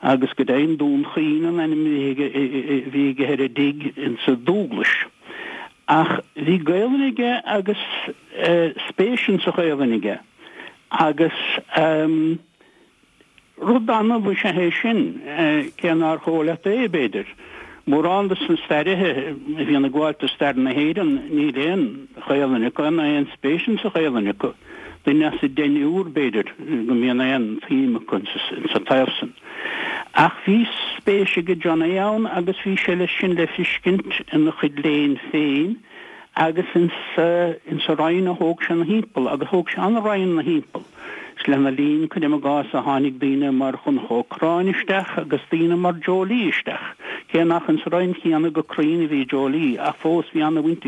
agus go deimhin Dún Chaoin an ainm a bhí aige ar an dtigh insa Dúglais. Ach bhí Gaelainn aige agus spéis insa Ghaelainn aige. Agus. Rud annamh is ea é sin, cé nár chóir leat é, b'fhéidir. Mórán de na stairithe a bhíonn ag gabháil do stair na hÉireann, níl aon Ghaelainn acu, ná aon spéis insa Ghaelainn acu. Duine as deichniúr, b'fhéidir, go mbíonn aon tsuim acu insa taobh san. Ach bhí spéis aige Johnny ann agus bhí sé leis sin le fiscint ina chuid léinn féin agus insa roinn a thóg sé 'na thimpeall, agus thóg sé an-roinn 'na thimpeall. Is lena linn, cuirim i gcás, a tháinig daoine mar Dhonncha Ó Corráin isteach agus daoine mar Joe Lee isteach, cé nach insa roinn chéanna go cruinn a bhí Joe Lee, ach fós bhí an-bhaint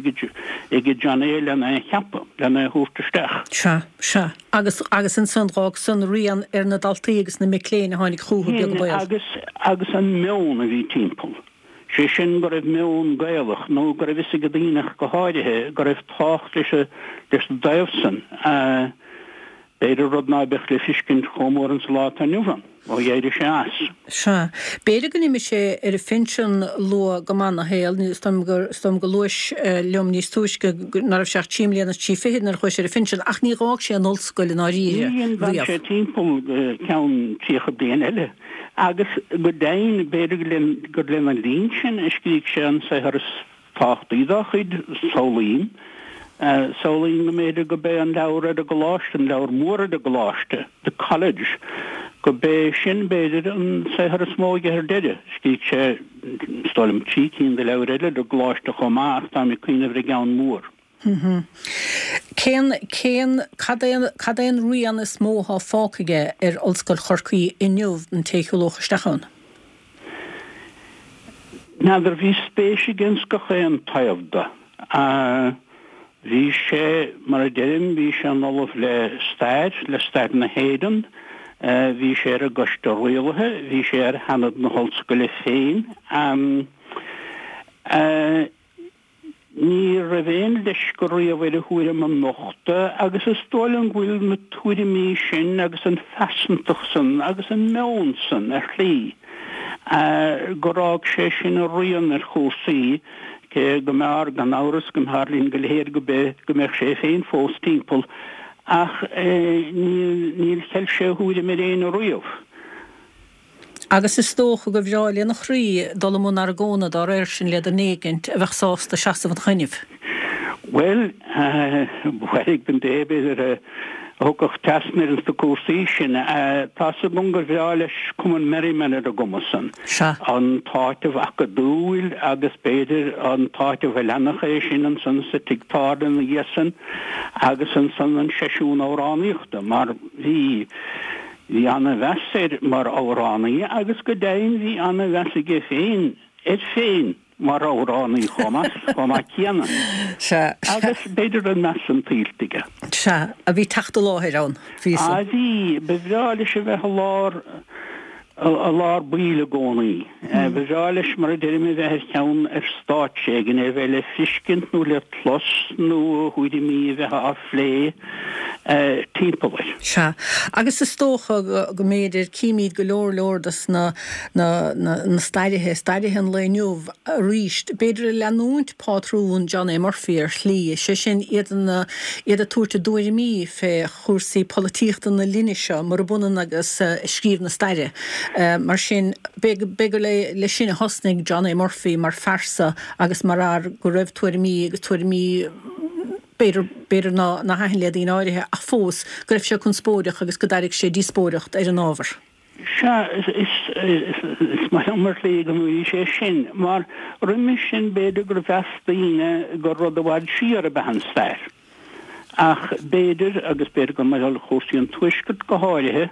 aige Johnny lena é cheapadh, lena é thabhairt isteach. Sea, sea. Agus, agus ansan, dh'fhág san rian ar na daltaí agus na mic léinn a tháinig chúthu, beag an baol. Agus, agus an meon a bhí timpeall. Sé sin go raibh meon Gaelach, nó go raibh fhios ag daoine ach go háirithe, go raibh tábhacht leis leis an dtaobh san. B'fhéidir rud ná beadh le fiscint chomh mór insa lá atá inniu ann, ó d'éirigh sé as. Sea. B'fhéidir go n-imigh sé ar a phinsean luath go maith 'na shaol, is dóigh gur, is dóigh liom gur luais liom níos túisce ná raibh sé ach trí mbliana is trí fichid nuair a chuaigh sé ar a phinsean, ach ní dh'fhág sé an ollscoil i ndáiríre Ní, d'fhan riamh. sé timpeall go ceann 30 bliain eile. Agus go deimhin, b'fhéidir gur lena linn sin a scrígh sé an saothar is tábhachtaí dá chuid, Samhlaím. Samhlaím go mb'fhéidir go b'é an leabhar ar an gcoláiste, an leabhar mór ar an gcoláiste, The College, go b'é sin, b'fhéidir, an saothar is mó aige ar deireadh. Scrígh sé, is dóigh liom, trí cinn de leabhair eile ar an gcoláiste chomh maith ach táim ag cuimhneamh ar an gceann mór. Cén, cén, cad é, cad é an rian is mó atá fágtha aige ar Ollscoil Chorcaí inniu don té a shiúlódh isteach ann? N'fheadar, bhí spéis aige ins gach aon taobh de. Bhí sé, mar a deirim, bhí sé ina ollamh le stair, le stair na hÉireann, bhí sé ar an gcoiste rialaithe, bhí sé ar Sheanad na hOllscoile féin. Ní raibh aon leisce riamh air a thuairim a nochtadh agus is dóigh liom go bhfuil na tuairimí sin agus an phearsantacht san agus an meon san, ar shlí, gur fhág sé sin a rian ar chúrsaí, cé go mb'fhearr, gan amhras, go mb'fhearr linn go léir go go mbeadh sé féin fós timpeall, ach níor cheil sé a thuairim ar éinne riamh. Agus is dócha gur bhreá lena chroí dul i mbun argóna dá réir sin le duine éigint a bheadh sásta seasamh ina choinnibh. Bhuel, ba mhairg don dté, b'fhéidir, a thiocfadh trasna air ins na cúrsaí sin. Tá's agam gur bhreá leis Cumann Merriman ar an gcuma san. Sea. An t-áiteamh acadúil agus b'fhéidir an t-áiteamh a leanfadh é sin ansan sa tigh tábhairne ina dhiaidh san agus ansan an seisiún amhránaíochta mar bhí Bhí ana-mheas air mar amhránaí agus go deimhin bhí ana-mheas aige féin air féin mar amhránaí chomh maith, chomh maith céanna. Sea. Agus b'fhéidir an meas san tuillte aige. Sea, a bhí teacht i láthair ann, bhí san. Á bhí, ba bhreá leis a bheith i lár. I lár baill i gcónaí. Ba bhreá leis, mar a deirim, a bheith ar cheann ar stáitse éigin, é a bheith le feiscint nó le clos nó a thuairimí a bheith á phlé timpeall air. Sea. Agus is dócha go mb'fhéidir, címid go leor leor dos na na stairithe, stairithe an lae inniu arís, b'fhéidir ag leanúint pátrún John A. Murphy ar shlí, sé sin, iad iad ag tabhairt a dtuairimí fé chúrsaí polaitíochta na linne seo, murab ionann agus scríobh na staire. Mar sin, b'fhéidir gur leis sin a thosnaigh John A. Murphy mar phearsa agus mar fhear go raibh tuairimí agus tuairimí b'fhéidir, b'fhéidir ná thaitin le daoine áirithe ach fós go raibh sé conspóideach agus go dtairg sé díospóireacht ar an ábhar. Sea, is maith liom ar shlí go ndúirt sé sin, mar roimis sin b'fhéidir gur mheas daoine gur rud i bhfad siar ab ea an stair. Ach b'fhéidir, agus b'fhéidir gur mar gheall ar chúrsaí an Tuaiscirt go háirithe,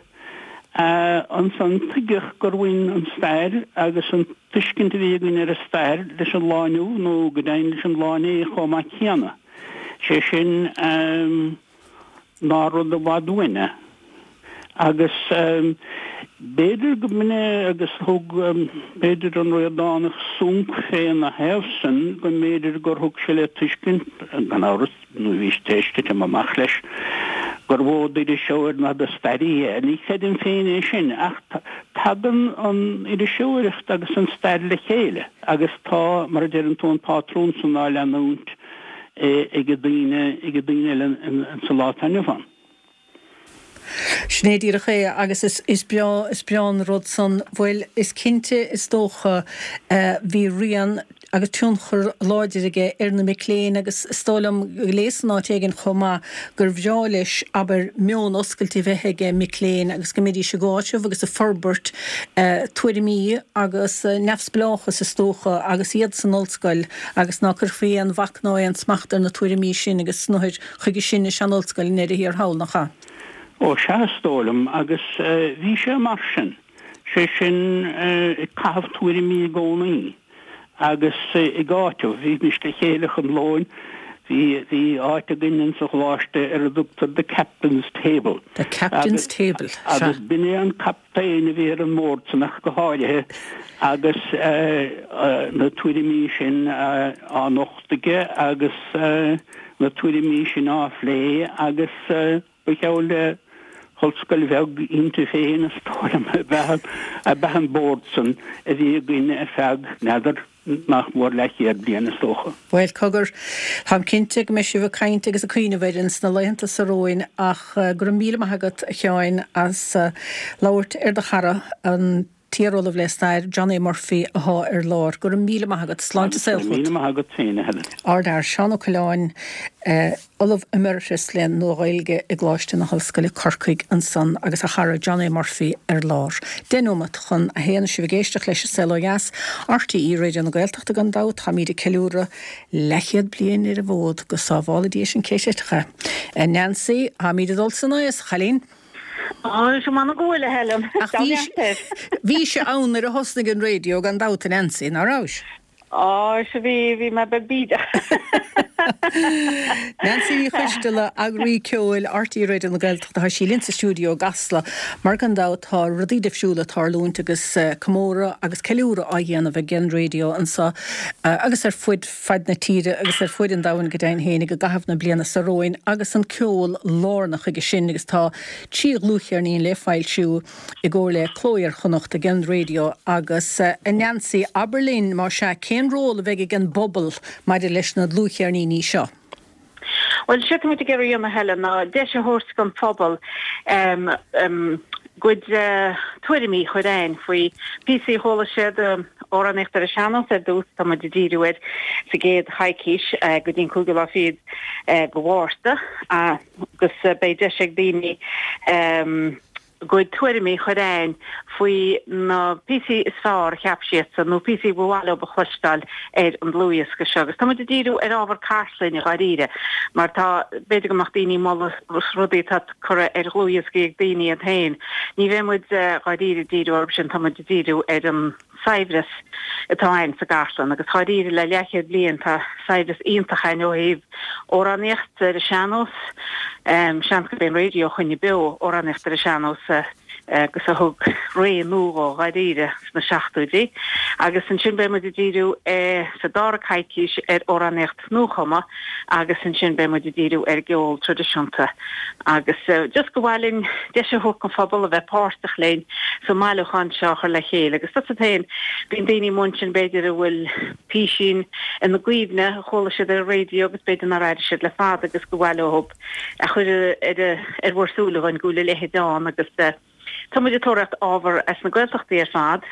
ansan tuigeadh gur bhain an stair agus an tuiscint a bhí againn ar an stair leis an lá inniu nó go deimhin leis an lá inné chomh maith céanna. Sé sin, nár rud i bhfad uainn é. Agus b'fhéidir go mb'in é agus thug, b'fhéidir, an Ríordánach sonc féna thaobh san, go mb'fhéidir gur thug sé le tuiscint, gan amhras, nó bhí sé tar éis titim amach leis, gur mhó d'iriseoir ná de stairí é. Ní chreidim féin é sin, ach tagann an iriseoireacht agus an stair le chéile agus tá, mar a deireann tú, an pátrún san á leanúint ag daoine, ag daoine eile sa lá atá inniu ann. Sin é díreach é agus is breá, is breá an rud san. Bhuel, is cinnte, is dócha, bhí rian agus tionchar láidir aige ar na mic léinn agus is dóigh liom go léas in áit éigin chomh maith gur bhreá leis, abair, meon oscailte a bheith ag mic léinn agus go mbeidís ag áiteamh agus ag forbairt tuairimí agus neamhspleáchas is dócha agus iad san ollscoil agus ná cuirfí aon bhac ná aon smacht ar na tuairimí sin agus snothair Chuige sin is ea an ollscoil i ndeireadh thiar thall, nach ea? Ó sea, is dóigh liom, agus bhí sé mar sin, sé sin ag caitheamh tuairimí i gcónaí agus ag áiteamh. Bhímis le chéile chun lóin, bhí, bhí áit againn insa choláiste ar a dtugtar the captain's table. The captain's table, sea. Agus b'in é an captaen a bhí ar an mbord san ach go háirithe agus na tuairimí sin á nochtadh aige agus na tuairimí sin á phlé agus ba cheal le hollscoil bheag inti féin is dóigh liom ab ea an bord san a bhí againn ar feadh, n'fheadar, nach mór leathchéad bliain is dócha. Bhuel, cogar, táim cinnte go mbeidh sibh ag caint agus ag cuimhneamh air ins na laethanta seo romhainn ach go raibh míle maith agat, a Sheáin, as labhairt ar do chara, an t-iar-ollamh le stair, John A. Murphy, athá ar lár. Go raibh míle maith agat. Sláinte is saol Go raibh míle maith agat féin, a Helen. Ardfhear, Seán Ó Coileáin, Ollamh Emeritus le Nua-Ghaeilge i gColáiste na hOllscoile, Corcaigh, ansan agus a chara John A. Murphy ar lár. 10 nóimeat chun a haon is sibh ag éisteacht leis An Saol Ó Dheas, RTÉ Raidió na Gaeltachta gan dabht, táimíd ag ceiliúradh leathchéad bliain ar an bhfód, go sábhála Dia sinn cé teitfeadh é. Nancy, táimíd ag dul san aos, a chailín! Á, is m'anam go bhfuil, a Helen. Ach bhí, bhís ann nuair a thosnaigh an raidió gan dabht, a Nancy, ná rabhais? Á, sea bhí, bhí mé beag bídeach. Nancy Ní Choisteala, eagraí ceoil RTÉ Raidió na Gaeltachta, tá sí linn sa stiúideo i gCasla. Mar gan dabht tá rudaí difriúla ag tarlúint agus comóradh agus ceiliúradh á dhéanamh ag an raidió anseo agus ar fud fad na tíre agus ar fuaid an domhain go deimhin fhéinig i gcaitheamh na bliana seo romhainn agus an ceol lárnach chuige sin agus tá 3 dhlúthcheirnín le foilsiú i gcomhar le Cló Iar-Chonnacht ag an Raidió agus a Neansaí, abair linn más ea, cén ról a bheidh ag an bpobal maidir leis na dlúthcheirníní seo? Bhuel, séard tá muid ag iarraidh a dhéanamh, a Helen, ná deis a thabhairt don phobal a gcuid tuairimí a chur a'ainn faoi píosaí a chuala siad, amhránaíocht ar an sean-nós ar dtús, tá muid ag díriú air sa gcéad choicís go dtí an cúigiú lá fichead de Mhárta agus beidh deis ag daoine a gcuid tuairimí a chur a'ainn faoi na píosaí is fearr a cheap siadsan nó píosaí ba mhaith leo a chloisteáil ar an dlúthdhiosca seo. Agus tá muid ag díriú ar ábhar cartlainne dháiríre mar tá, b'fhéidir go mbeadh daoine ag moladh rudaí atá curtha ar dhlúthdhioscaí ag daoine iad féin. Ní bheidh muid dháiríre ag díriú orthu sin, tá muid ag díriú ar an saibhreas atá a'ainn sa gcartlann agus dháiríre le leathchéad bliain tá saibhreas iontach a'ainn ó thaobh amhránaíocht ar an sean-nós, seans gurb é an raidió a choinnigh beo amhránaíocht ar an sean-nós. Agus a thug ré nua dhó dháiríre sna seachtóidí. Agus ansin beidh muid ag díriú sa dara coicís ar amhránaíocht nuachumtha agus ansin beidh muid ag díriú ar an gceol traidisiúnta. Agus just gur mhaith linn deis a thabhairt don phobal a bheith páirteach linn sa mbailiúchán seo a chur le chéile. Agus tusa féin, bíonn daoine amuigh ansin b'fhéidir a bhfuil písín ina gcuimhne a chuala siad ar an raidió agus b'fhéidir nár airigh siad le fada agus gur mhaith leo a chur ar bhur súile dhúinn go bhfuil a leithéid ann agus tá muid ag tóraíocht ábhar as na Gaeltachtaí ar fad,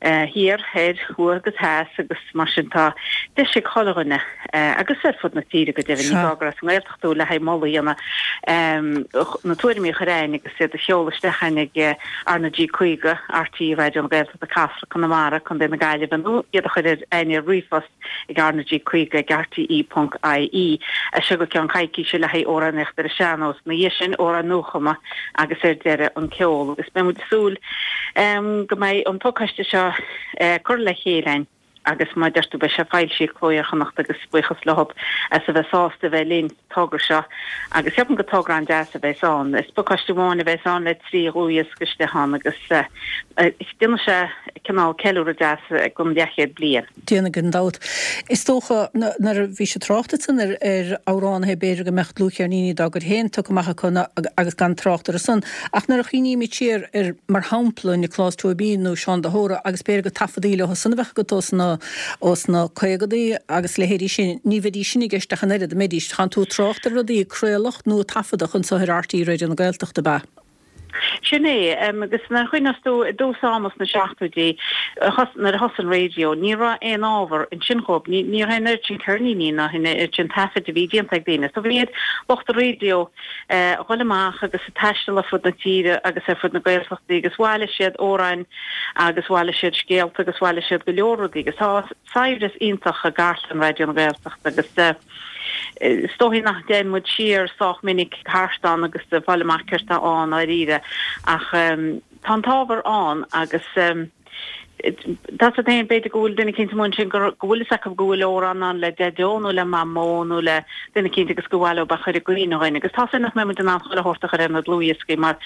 thiar, thoir, thuaidh agus theas agus mar sin tá deis ag chuile dhuine agus ar fud na tíre go deimhin, ní gá gur as an nGaeltacht tú le haghaidh moladh a dhéanamh, na tuairimí a chur a'ainn agus iad a sheoladh isteach a'ainn ag RnaG 50, RTÉ Raidió na Gaeltachta, Casla, Conamara, Co. na Gaillimhe nó iad a chur a'ainn ar ríomhphost. ag RnaG 50 ag rte ponc ie as seo go ceann coicíse le haghaidh amhránaíocht ar an sean-nós, ina dhiaidh sin amhráin nuachumtha agus ar deireadh an ceol. Agus beidh muid ag súil go mbeidh an pacáiste seo curtha le chéile a'ainn agus mar a deir tú beidh sé foilsithe ag Cló Iar-Chonnacht agus buíochas leo as a bheith sásta a bheith linn sa togra seo agus ceapaim gur togra an-deas a bheas ann. Is pacáiste amháin a bheas ann le 3 dhlúthdhiosca istigh ann agus déanfaidh sé cineál ceiliúradh deas don leathchéad bliain. Déanfaidh gan dabht. Is dócha, nuair a bhís ag trácht ansan ar amhránaithe, b'fhéidir go mbeadh dlúthcheirníní dá gcuid féin tugtha amach acu agus gan trácht orthu san, ach nuair a chuimhnímid siar ar, mar shampla, Nioclás Tóibín nó Seán de hÓra agus b'fhéidir gur taifeadaí leo san a bheadh agat ós na caogadaí agus leithéidí sin, ní bheidís sin i gceist ach an oiread, an mbeidís? Tánn tú ag trácht ar rudaí a craoladh nó a taifeadadh anso ar RTÉ Raidió na Gaeltachta, ab ea? Sin é, agus nuair a chuimhneos tú i dtús ama sna seachtóidí, nuair a thosaigh an raidió, ní raibh aon ábhar ansin dhóibh, ní raibh an oiread sin ceirníní ná an oiread sin taifid a bhí déanta ag daoine. So bhí ar lucht an raidió a dhul amach agus ag taisteal ar fud na tíre agus ar fud na Gaeltachtaí agus bhailigh siad amhráin agus bhailigh siad scéalta agus bhailigh siad go leor rudaí agus tá saibhreas iontach i gcartlann Raidió na Gaeltachta agus Is dóichí nach dtéann muid siar sách minic thart ann agus ag fáil amach céard atá ann dáiríre ach tá an t-ábhar ann agus tá 's agat féin b'fhéidir go bhfuil duine eicínt amuigh ansin go bhfuil fhios acu go bhfuil amhrán ann le Deaideo nó le Mamó nó le duine eicínt agus gur mhaith leo é a chur i gcuimhne dhuinn agus tá 's againn nach mbeidh muid in ann chuile shórt a chur ar na dlúthdhioscaí mar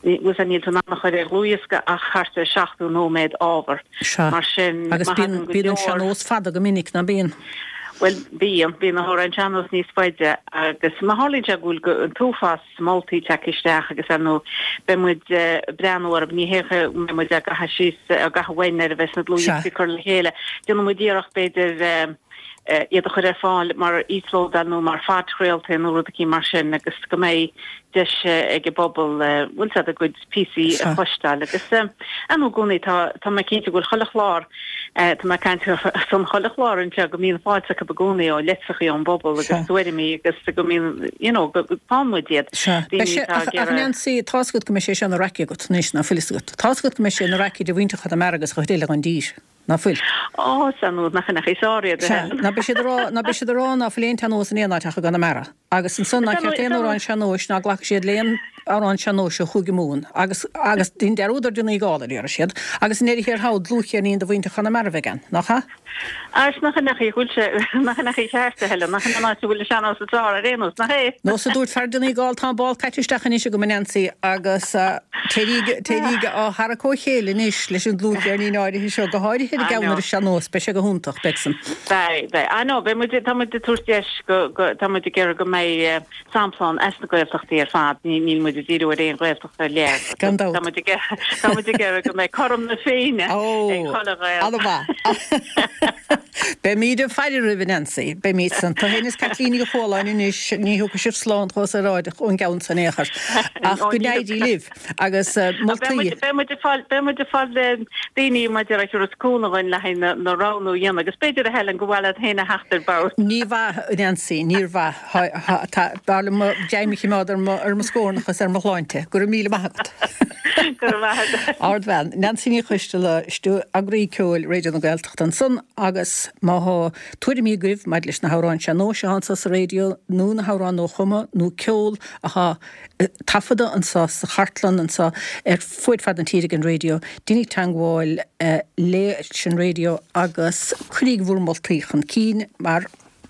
bhfuil 's níl tú in ann a chur ar dhlúthdhiosca ach thart ar 70 nóiméad ábhar. Sea. Mar sin Agus má bíonn thagann go bíonn an leor. sean-nós fada go minic, ná bíonn? Bhuel, bíonn. Bíonn na hamhráin sean-nós níos faide agus má tharlaíonn sé go bhfuil an t-uafás moltaí tagtha isteach agus ar ndóigh beidh muid ag breathnú orthu, ní hé go mbeidh muid á gcaitheamh síos, á gcaitheamh uainn nuair a bheas na dlúthdhioscaí curtha le chéile. Déanfaidh muid iarracht b'fhéidir iad a chur ar fáil mar íoslódáil nó mar phodchraoltaí nó rud eicínt mar sin agus go mbeidh deis ag an bpobal, bhfuil 's a'd, a gcuid píosaí a chloisteáil agus ar ndóigh i gcónaí tá tá mé cinnte go bhfuil chuile chlár tá mé ag caint ar son chuile chlár anseo go mbíonn fáilte acu i gcónaí ó litreachaí ón bpobal agus tuairimí agus go mbíonn you know go faigheann muid iad. Sea. Beidh sé ach ach Nancy tá's agat go mbeidh sé seo ina raic agat anois ná fuil 'fhios agat. Tá's agat go mbeidh sé ina raic idir mhuintir Chonamara agus an chuid eile den dtír. Ná fuil? Ó, sea, nó nach in é sár iad a Sea, ná beidh siad a rá, ná beidh siad a rá ná fuil aon tsean-nós in aon áit ach i gConamara. Agus ansan ná ceart aon amhrán sean-nóis, ná glacfaidh siad le aon amhrán sean-nóis ó Chúige Mumhan. Agus, agus dein dearúd ar Donegal, a déarfaidh siad. Agus i ndeireadh thiar thall, dlúthcheirnín de mhuintir Chonamara a bheidh ann, nach ea? Ach nach in é bhfuil sé, nach in é ceart, a Helen, nach in an áit a bhfuil an sean-nós is fearr ar aon nós, nach é? Nós a dúirt fear Donegal, tá an ball caite isteach anois agam, a Nancy, agus téiríg, téiríg á tharrac ó chéile anois leis an dlúthcheirnín áirithe seo, go háirithe ar an gceann ar an sean-nós, beidh sé go hiontach, beidh san. Beidh, beidh. I know, beidh muid, tá muid ag tabhairt deis go, go, tá muid ag iarraidh go mbeidh sampla ann as na Gaeltachtaí ar fad, ní, níl muid ag díriú ar aon Ghaeltacht ar leith. Gan dabht. Tá muid ag, tá muid ag iarraidh go mbeidh cothrom na Féinne ag chuile Ghael. An-mhaith. Beimíd ag faire oraibh, a Nancy. Beimíd san. Tú féin is Caitlín Ní Chualáin anois, ní thiocfaidh sibh slán chomh saoráideach ón gceann san in aon chor. Ach go n-éirí libh. Agus moltaí. Beidh muid ag fáil, beidh muid ag fáil daoine maidir le tabhairt cúnamh dhuinn le haghaidh na roghnú a dhéanamh agus b'fhéidir a Helen gur mhaith leat féin a theacht ar bord. Ní mhaith, a Nancy, níor mhaith. Tá, b'fhearr liom mo ghreim a choimeád ar mo, ar mo scornach is ar mo shláinte. Go raibh míle maith agat. Go raibh maith agat. Ardbhean. Nancy Ní Choisteala, Eagraí Ceoil Raidió na Gaeltachta ansan agus má thá tuairimí agaibh maidir leis na hamhráin sean-nóis athá anso sa raidió nó na hamhráin nuachumtha nó ceol athá taifeadta anso sa chartlann anso ar fuaid fad na tíre ag an raidió, deiníg teangmháil leis an raidió agus cuiríg bhur moltaí chun cinn mar,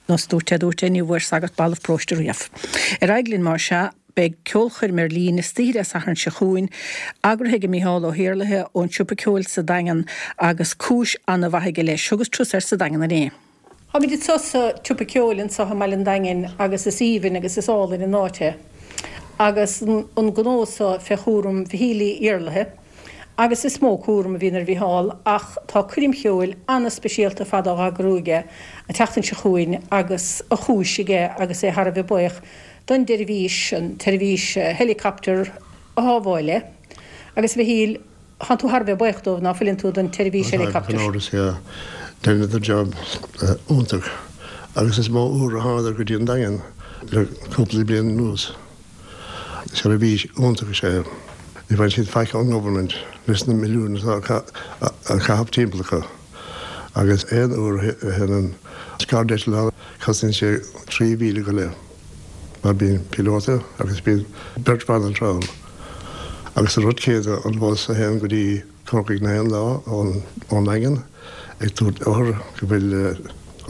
nós dúirt é, dúirt é, ní bhfuair sagart balbh paróiste riamh. Ar aghaidh linn más ea. Beidh ceolchoirm ar líne istoíche Dé Sathairn seo chugainn, eagraithe ag Micheál Ó hIarlaithe ón Siopa Ceoil sa Daingean agus cúis ana-mhaith aige leis. Thugas turas air sa Daingean inné. Táimid anseo sa tSiopa Ceoil anseo i mBaile an Daingin agus is aoibhinn agus is álainn an áit é agus an gnó so fé chúram Mhichíl Uí Iarlaithe agus is mó cúram a bhíonn ar Mhicheál ach tá coirm cheoil ana-speisialta ar fad á eagrú aige an tseachtain seo chugainn agus a chúis aige agus é thar a bheith buíoch don tseirbhís, an tseirbhís helicopter a shábháil é. Agus a Mhichíl, thánn tú thar a bheith buíoch dóibh, ná fuileann tú, don tseirbhís helicopter? Gan amhras, yeah. Dheineadar job iontach agus is mó uair a thánadar go dtí an Daingean le cúpla bliain anuas. Seirbhís iontach is ea é. Ní bhain siad faic ón government leis na milliúin atá á caitheamh timpeall acu. Agus aon uair a théann an scairdeitleán cosnaíonn sé 3,000 go leith mar bíonn píolóta agus bíonn beirt bhanaltra ann. Agus an rud céanna an bhus a théann go dtí Corcaigh na haon lá ón nDaingean ag tabhairt othar go bhfuil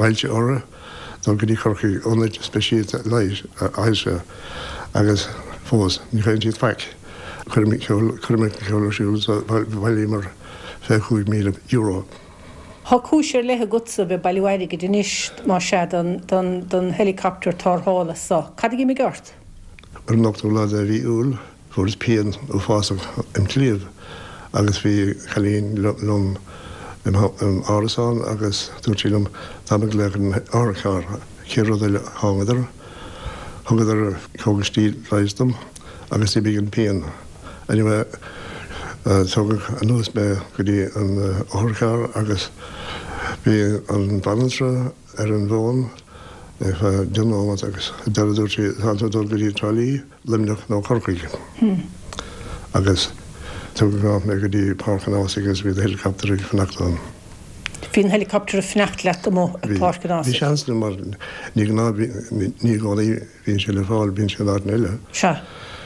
ailse orthu dul go dtí Corcaigh, ionaid speisialta leighis ailse agus fós ní fhaigheann siad faic. Coirm cheoil coirm cheoil ar siúl so bhailíomar €25,000. Tá cúis ar leith agatsa a bheith ag bailiú airgid anois, más ea, don don don helicopter tarrthála so. Cad a d'imigh ort? Ar an ochtú lá de mhí Iúil fuaireas pian uafásach im chliabh agus bhí cailín liom im árasán agus dúirt sí liom táim ag glaoch ar an otharcharr. Chéad rud eile thángadar, thugadar cógaistí leighis dom agus d'imigh an pian. Anyway tugadh anuas mé go dtí an otharcharr agus bhí an bhanaltra ar an bhfón ar feadh 10 nóiméad agus ar deireadh dúirt sí tánn tú ag dul go dtí Trá Lí. Luimneach nó Corcaigh agus tugadh amach mé go dtí Páirc an Ághasaigh agus bhí an helicopter ag fanacht ann. Bhí an helicopter ag fanacht leat amuigh ag Páirc an Ághasaigh? Bhí seans ann mar ní gnáth, ní i gcónaí bhíonn sé le fáil, bíonn sé in áiteanna eile. Sea.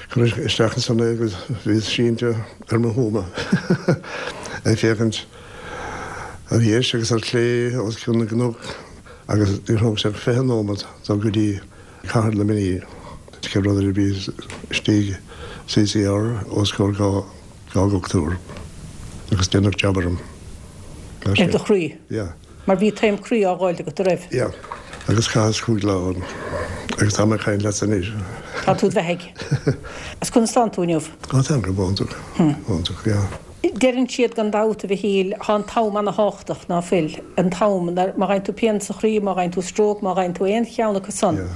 Cuireadh isteach ansan é agus bhíos sínte ar mo thuama ag féachaint ar dheis agus ar chlé os cionn na gcnoc agus níor thóg sé ach 20 nóiméad dul go dtí Cathair Luimnigh, chéad rud eile bhíos istigh CCR os comhair 2 dhochtúr agus déanadh jab orm. Ar do chroí? Yeah. Mar bhí taom croí á dh'fháilt agat, a raibh? Yeah. Agus chaitheas 5 lá ann. Agus tá mé ag caint leatsa anois. Tá tú id bheathaidh. Agus conas tánn tú inniu? Á táim go hiontach. Iontach, yeah. Deireann siad gan dabht, a Mhichíl, thá an t-am ana-thábhachtach, ná fuil? An t-am, má fhaigheann tú pian sa chroí, má fhaigheann tú stróc, má fhaigheann tú aon cheann acu san,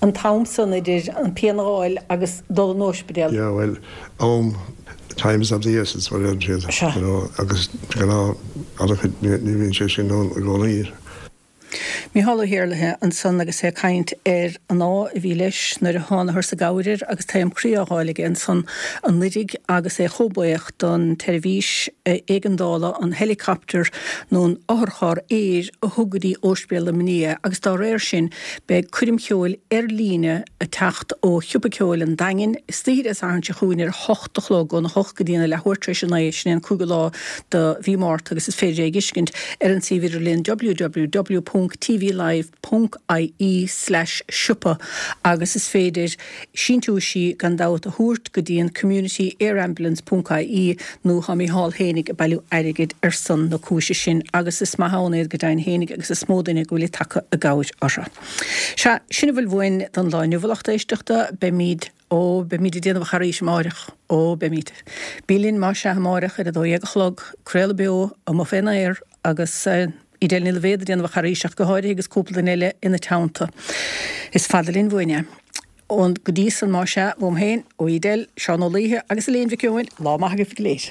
an t-am san idir an pian a dh'fháil agus dul an óispidéal. Yeah, bhuel, am, time is of the essence, mar a deireann siad, you know, agus de ghnáth, an-chuid, ní bhíonn sé sin ann i gcónaí. Micheál Ó hIarlaithe ansan agus é ag caint ar an ádh a bhí leis nuair a thánatharsa i gcabhair air agus taom croí á dh'fháil aige ansan anuiridh agus é chomh buíoch don tseirbhís éigeandála, an helicopter nó an otharcharr aeir a thug go dtí Óispidéal Luimnigh é agus dá réir sin beidh coirm cheoil ar líne ag teacht ó Shiopa Ceoil an Daingin istoíche Dé Sathairn seo chugainn ar a hocht a chlog, óna hocht go dtí an leathuair tar éis a naoi, sin é an cúigiú lá de mhí Márta agus is féidir é a dh'fheiscint ar an suíomh idirlíon www.tvlive.ie/siopa agus is féidir síntiúisí gan dabht a thabhairt go dtí an communityairambulance.ie nó tá Mícheál fhéinig ag bailiú airgid ar son na cúise sin agus is maith ann iad go deimhin fhéinig agus is mó duine go bhfuil ag tagtha i gcabhair orthu. Sea, sin a bhfuil uainn don lá inniu, a lucht éisteachta. Beimid. Ó, beimid ag déanamh a charaís amáireach. Ó, beimid. Bí linn más ea amáireach ar 12 a chlog, craoladh beo, amuigh fén aer, agus Edel Ní Loibhéad ag déanamh a charaís ach go háirithe agus cúpla duine eile ina teannta. Is fada linn uainn é. Ó, go dtí san más ea, uaim féin, ó Edel, Seán Ó Laoithe agus Elaine Mhic Eoin, lá maith agaibh go léir.